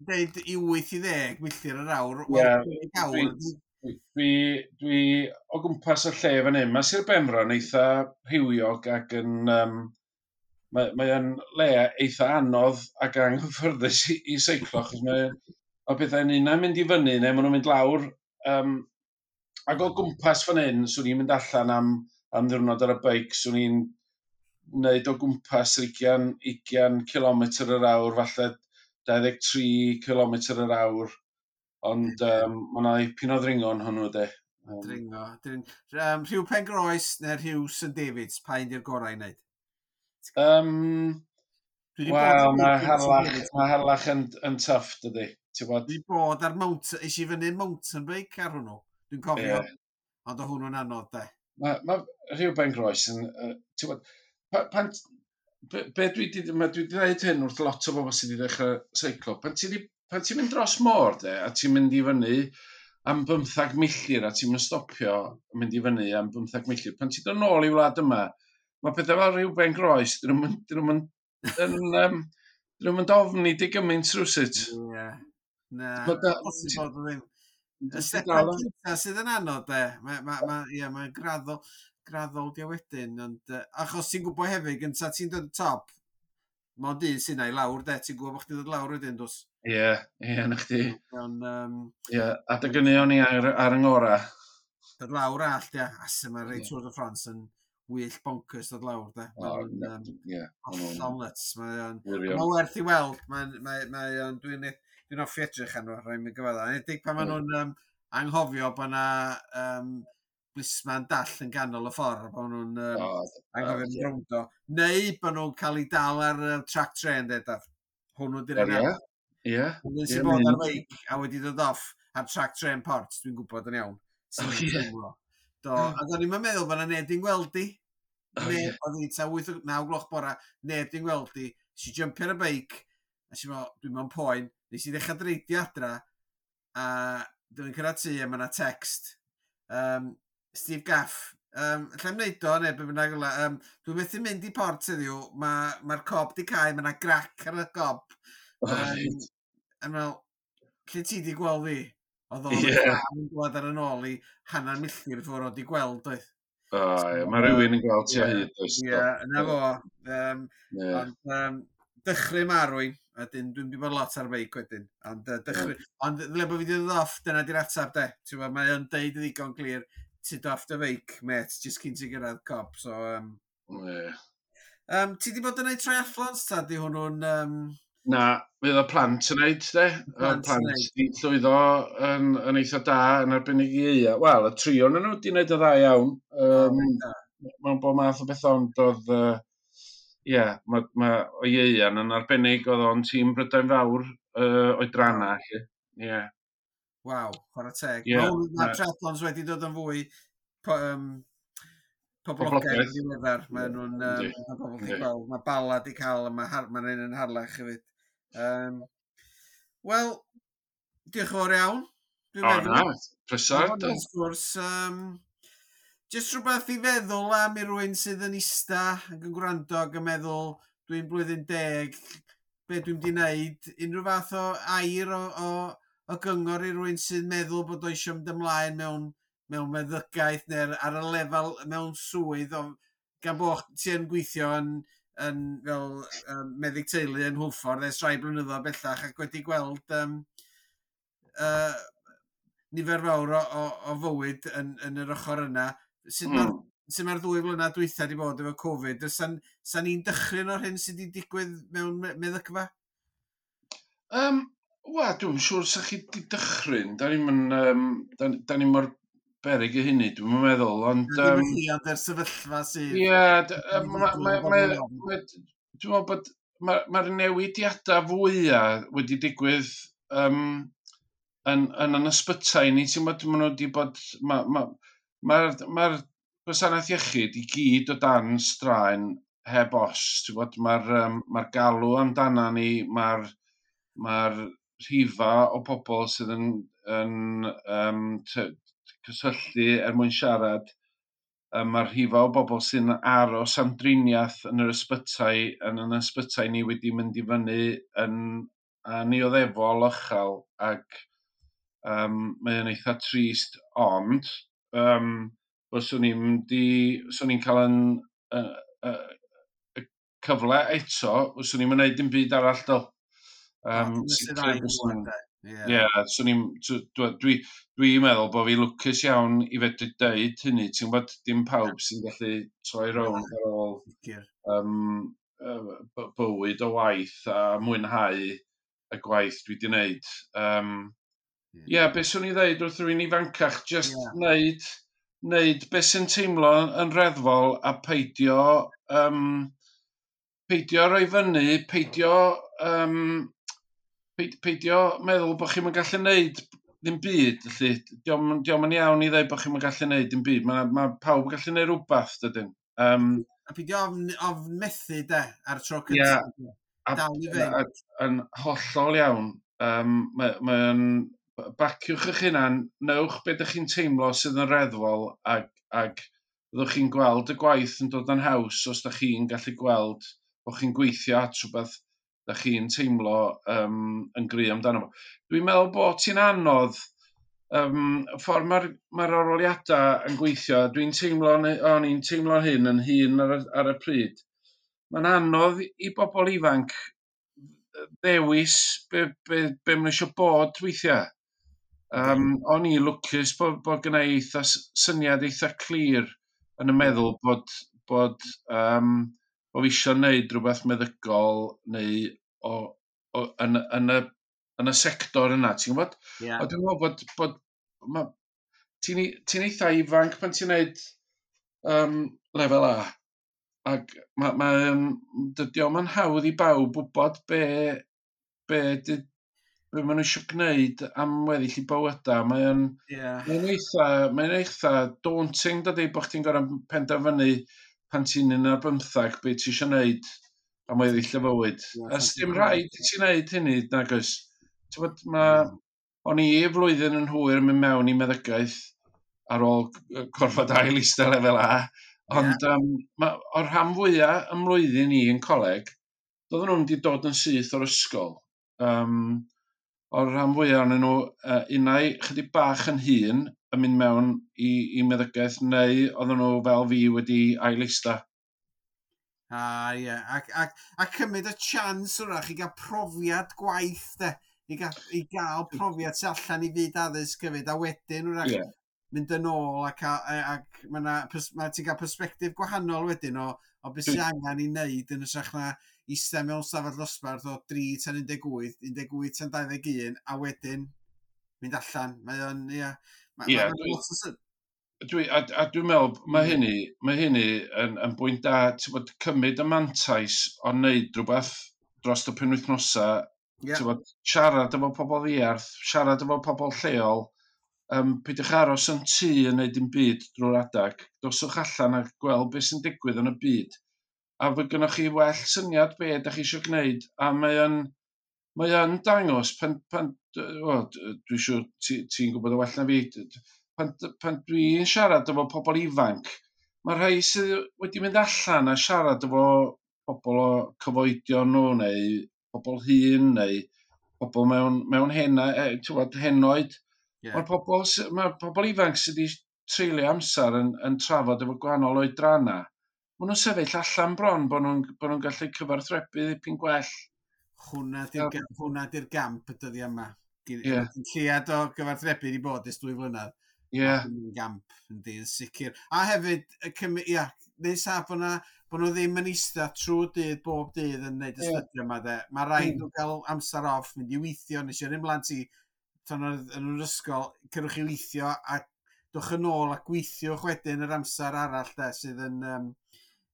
Deud i wyth i ddeg milltir yr awr. Wel, dwi, dwi, dwi o gwmpas y lle fan hyn. Mae Sir Benfro yn eitha rhywiog ac yn... Um, mae, mae yn le eitha anodd ac anghyffyrddus i, i seiclo, achos mae, mae pethau'n un yn mynd i fyny neu maen nhw'n mynd lawr. Um, ac o gwmpas fan hyn, swn i'n mynd allan am, am ddiwrnod ar y beic, swn i'n wneud o gwmpas ugain, ugain kilometr yr awr, falle dau ddeg tri kilometr yr awr. Ond um, mae yna ipyn o ddringo yn hwnnw, de. Um, dringo. Dring, um, Rhiw Pengroes neu Rhiw Saint Davids, pa un di'r gorau i wneud? Um, Wel, mae Harlech, mae Harlech yn, yn tough, dydy. Dwi wedi bod ar mountain, eisiau fyny mountain bike ar hwnnw. Dwi'n cofio, yeah. Ond o hwnnw'n anodd, de. Mae ma Rhiw Pengroes yn, uh, ti'n bod, pa, pan, be, be dwi di, ma, dwi di dweud hyn wrth lot o bobl sydd wedi dechrau seiclo, pan ti'n pan ti'n mynd dros môr, de, a ti'n mynd i fyny am bymthag milltir, a ti'n mynd stopio mynd i fyny am bymthag milltir, pan ti'n dod nôl i wlad yma, mae pethau fel Rhiw Pengroes, dyn nhw'n yn, um, dyn nhw'n ofni di gymaint rhywsut. Ie. Na, posib bod o ddim. Y stepan cynta sydd yn anodd, de. Mae ma, ma, ie, mae'n graddol, graddol di o wedyn. Ond, uh, achos ti'n gwybod hefyd, gynta ti'n dod y top, mond un sy'n i lawr, de. Ti'n gwybod bod chdi'n dod lawr wedyn, dos? Ie, ie, na chdi. Ond, um, ie, adeg hynny o'n i ar, ar yng ngora. Dod lawr all, ia. As yma rei Tour de France yn wyll bonkers dod lawr, de. Mae'n um, yeah, hollol nuts. Mae'n ma werth i weld. Mae'n, mae, mae, dwi'n dwi'n hoffi edrych arno, rhaid mi gyfadda. Enwedig pan maen nhw'n um, anghofio bod yna um, blisman dall yn ganol y ffordd, bod nhw'n um, oh, anghofio yn rowndo. Neu bod nhw'n cael eu dal ar uh, track train, de, daf. Hwnnw di'r un. Ie, ie. Hwnnw sy'n bod ar feic a wedi dod off ar track train port, dwi'n gwybod yn iawn. Oh, yeah. Do, a do'n i'm yn meddwl bod yna neb di'n gweld di. Oh, neb, oedd hi ta wyth, naw gloch bora, neb di'n gweld di. Si jumpio ar y beic, a si meddwl, dwi'n mewn poen. Nes i ddechrau dreidio adra, a dwi'n cyrraedd tŷ a mae yna text. Um, Steve Gaff, um, lle i'm wneud o, neu be bynnag yla, um, dwi'n methu mynd i port heddiw, mae'r ma cob di cau, mae yna grac ar y gob. Oh, um, a meddwl, lle ti di gweld fi? Oedd o'n yeah. yn dod ar yn ôl i hanner milltir ffwrdd o di gweld, oedd. Oh, so, yeah. Mae rhywun yn gweld ti o hyd. Ie, yeah, yna fo. Um, yeah. Ond um, dychryn marwyn, a dyn, dwi'n di bod lot ar beic wedyn. Ond uh, dychryn, yeah. Ond ddyle bod fi wedi dod off, dyna di'r atab de. Ti'n gwbod, mae o'n deud yn ddigon clir, ti off dy feic, mate, jyst cyn ti gyrraedd cop, so... Um, yeah. um, ti di bod yn neud triathlons, ta? Di hwnnw'n... Um... Na, fydd y plant yn neud, de. Y plant di llwyddo yn, yn eitha da, yn arbennig i Eia. Wel, y tri o'n nhw di wneud y dda iawn. Um, oh, mewn bob math o bethau, ond oedd... Ie, uh, yeah, mae ma, o Ieuan yn arbennig, oedd o'n tîm Brydain Fawr uh, oedranna. Ie. Yeah. Waw, chwarae teg. Yeah, mae ma triathlons wedi dod yn fwy po, um, poblogaidd yn ddiweddar. Mae nhw'n um, ma pobl wedi gweld. Mae Bala di cael, a mae ma un yn Harlech hefyd. Um, Wel, diolch yn fawr iawn. Dwi'n meddwl. O na, pleser. Sgwrs, um, jyst rhywbeth i feddwl am i rywun sydd yn ista ac yn gwrando ac yn meddwl dwi'n blwyddyn deg, be dwi'n di wneud, unrhyw fath o air o, o, o gyngor i rywun sydd meddwl bod o eisiau mynd ymlaen mewn, mewn meddygaeth neu ar y lefel mewn swydd, o, gan bod ti yn gweithio yn, yn fel um, meddyg teulu yn Hwlffordd ers rhai blynyddoedd bellach ac wedi gweld um, uh, nifer fawr o, o, o fywyd yn, yn yr ochr yna. Sut mm. mae'r sut mae'r ddwy flynedd dwytha wedi bod efo Covid? Sa'n sa ni'n dychryn o'r hyn sydd wedi digwydd mewn meddygfa? Um, Wel, dwi'n siŵr sa chi wedi dychryn. Da ni'n um, da, da ni mor beryg i hynny, dwi'n meddwl. Ond, um, Ddim chi, ond yr sefyllfa sydd... Ie, dwi'n meddwl bod mae'r ma newidiadau fwyaf wedi digwydd um, yn, yn yn ysbytai ni. Ti'n meddwl, maen nhw wedi bod... Mae'r ma, ma, ma gwasanaeth iechyd i gyd o dan straen heb os. Ti'n gwbod, mae'r um, ma galw amdana ni, mae'r ma rhifa o bobl sydd yn, yn um, cysylltu er mwyn siarad Um, Mae'r rhifau o bobl sy'n aros am driniaeth yn yr ysbytai, yn yn ysbytai ni wedi mynd i fyny yn annioddefol uchel ac um, mae o'n eitha trist, ond um, fyswn i'n mynd i, swn i'n cael yn uh, uh, y cyfle eto, fyswn i'n mynd dim byd arall dol. Um, sicr fyswn i'n... Ie, yeah, swn i'n... Dwi'n dwi, dwi meddwl bod fi lwcus iawn i fedru deud hynny. Ti'n gwybod, dim pawb sy'n gallu troi rownd ar ôl um, bywyd o waith a mwynhau y gwaith dwi wedi wneud. Um, Ie, yeah, beth swn i'n dweud wrth rhywun ifancach, just yeah. wneud, wneud beth sy'n teimlo yn reddfol a peidio, um, peidio rhoi fyny, peidio... Um, peidio meddwl bod chi'n gallu neud ddim byd, felly. Dio'm, dio'm yn iawn i ddweud bod chi'n gallu neud dim byd. Mae, mae pawb yn gallu neud rhywbeth, dydyn. Um, a peidio ofn, ofn methu, de, ar y tro cyntaf. Yeah, Dal i fynd. Yn hollol iawn. Um, Mae'n... Mae baciwch eich hunan, newch beth ydych chi'n teimlo sydd yn reddfol ac, ac byddwch chi'n gweld y gwaith yn dod yn haws os ydych chi'n gallu gweld bod chi'n gweithio at rhywbeth da chi'n teimlo um, yn gry amdano fo. Dwi'n meddwl bod ti'n anodd, um, y ffordd mae'r mae arholiadau yn gweithio, dwi'n teimlo, o'n i'n teimlo hyn yn hun ar, ar y pryd. Mae'n anodd i bobl ifanc ddewis be, be, be maen nhw eisiau bod weithiau. Um, o'n i lwcus bod, bod gynna i eitha syniad eitha clir yn y meddwl bod, bod um, bo fi eisiau gwneud rhywbeth meddygol neu o, o, yn, yn, y, yn y sector yna, ti'n gwybod? Yeah. A dwi'n meddwl bod, bod ma, ti'n ti eitha ifanc pan ti'n gwneud um, lefel A. Ac mae, ma, dydy o'm yn hawdd i bawb wybod be, be, di, be maen nhw eisiau gwneud am weddill i bywydau. Mae'n yeah. mae eitha, mae'n eitha daunting, dydy, bod chdi'n gorfod penderfynu pan ti'n un ar bymthag be ti eisiau gwneud am weddill y fywyd. Yeah, A dim rhaid i ti wneud hynny, nag oes. Ti'n bod, ma, o'n i flwyddyn yn hwyr yn mynd mewn i meddygaeth ar ôl gorfod ail eistedd lefel A, ond yeah. um, ma, o'r rhan fwyaf ym mlwyddyn i yn coleg, doedden nhw'n wedi dod yn syth o'r ysgol. Um, o'r rhan fwyaf ohonyn nhw, uh, unai chydig bach yn hŷn yn mynd mewn i, i meddygaeth, neu oedden nhw fel fi wedi ail-eista. Ah, ie. Yeah. Ac, ac, a cymryd y chance wrach i gael profiad gwaith, de. I gael, i gael profiad sy allan i fyd addysg hefyd, a wedyn wrach yeah. mynd yn ôl ac, ac ma na, ma ti'n cael persbectif gwahanol wedyn o, o beth sy'n angen i wneud yn hytrach na eistedd mewn stafell ddosbarth o tri tan un deg wyth, un deg wyth tan dau ddeg un, a wedyn mynd allan. Mae o'n, ie... Ma, yeah, ma, dwi, dwi, a, a dwi'n meddwl, mae hynny, mae hynny yn, yn bwynt da, ti'n bod, cymryd y mantais o wneud rhywbeth dros y penwythnosau, yeah. ti'n bod, siarad efo pobl ddiarth, siarad efo pobl lleol, um, peidiwch aros yn tŷ yn neud dim byd drwy'r adag, doswch allan a gweld beth sy'n digwydd yn y byd. A fy gynnoch chi well syniad be ydych chi eisiau gwneud, a mae yn, mae yn dangos, pan, pan, o, dwi'n siŵr ti'n ti gwybod o well na fi, pan, pan dwi'n siarad efo pobl ifanc, mae rhai sydd wedi mynd allan a siarad efo pobl o cyfoedion nhw, neu pobl hŷn, neu pobl mewn, mewn hena, e, ti'n gwbod, henoed. Yeah. Mae'r pobl, mae pobl ifanc sydd wedi treulio amser yn, yn trafod efo gwahanol oedrannau, maen nhw'n sefyll allan bron bod nhw'n bod nhw'n gallu cyfathrebu ddipyn gwell. Hwna di'r hwnna di'r gamp y dyddiau yma. Yeah. Llead o gyfathrebu wedi bod ers dwy flynedd. Yeah. Yn gamp, yndi, yn sicr. A hefyd, ia, neu saf bod na, bod nhw ddim yn eistedd trwy dydd, bob dydd yn neud y Yeah. stydio yma, de. Mae rhaid Mm. nhw gael amser off, mynd i weithio, nes i yrru mhlant i, tan oedd yn yr ysgol, cerwch i weithio a dwch yn ôl a gweithiwch wedyn yr amser arall, de, sydd yn, um,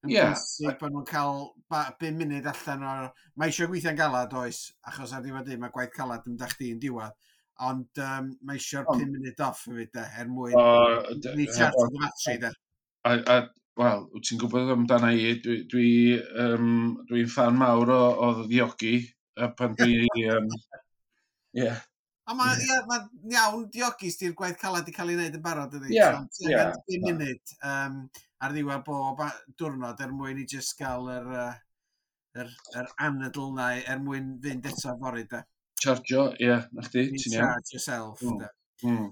yn yeah. bwysig bod nhw'n cael bum munud allan o'r... Mae eisiau gweithio'n galad, oes, achos ar ddiwedd dydd mae gwaith calad yn mynd â chdi yn diwedd. Ond um, mae eisiau'r Ond- pum munud off hefyd, de, er mwyn O, d- recharge the battery, de. A, a wel, wyt ti'n gwybod amdana i, dwi, dwi, um, dwi'n fan mawr o, o ddiogi, a pan dwi... Um, yeah. A mae yeah. ma iawn diogi di'r gwaith calad i cael ei wneud yn barod, ydy. Ie, So, ti ie, angen pum munud. Um, ar ddiwedd bob diwrnod er mwyn i just gael yr, uh, yr, yr anadl na er mwyn fynd eto fory, de. Chargio, ie, yeah, na chdi, ti'n iawn. Charge yourself, mm. de. Mm.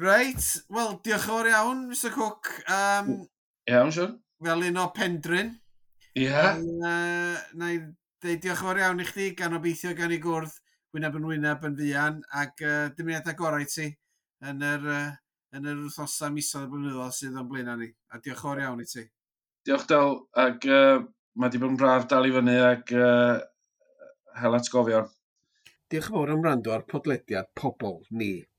Reit, wel, diolch yn fawr iawn, Mister Cook. Um, iawn, siwr. Fel un o Pendrin. Ie. Yeah. Uh, na i ddeud diolch yn fawr iawn i chdi, gan obeithio gan i gwrdd wyneb yn wyneb yn fuan, ac uh, dymuniadau gorau i ti yn yr, uh, yn yr wythnosau, misoedd, y blynyddoedd sydd o'n blaenau ni. A diolch yn fawr iawn i ti. Diolch, Del, ac uh, mae di bod yn braf dal i fyny ac uh, hel atgofion. Diolch yn fawr am wrando ar podlediad Pobol Ni.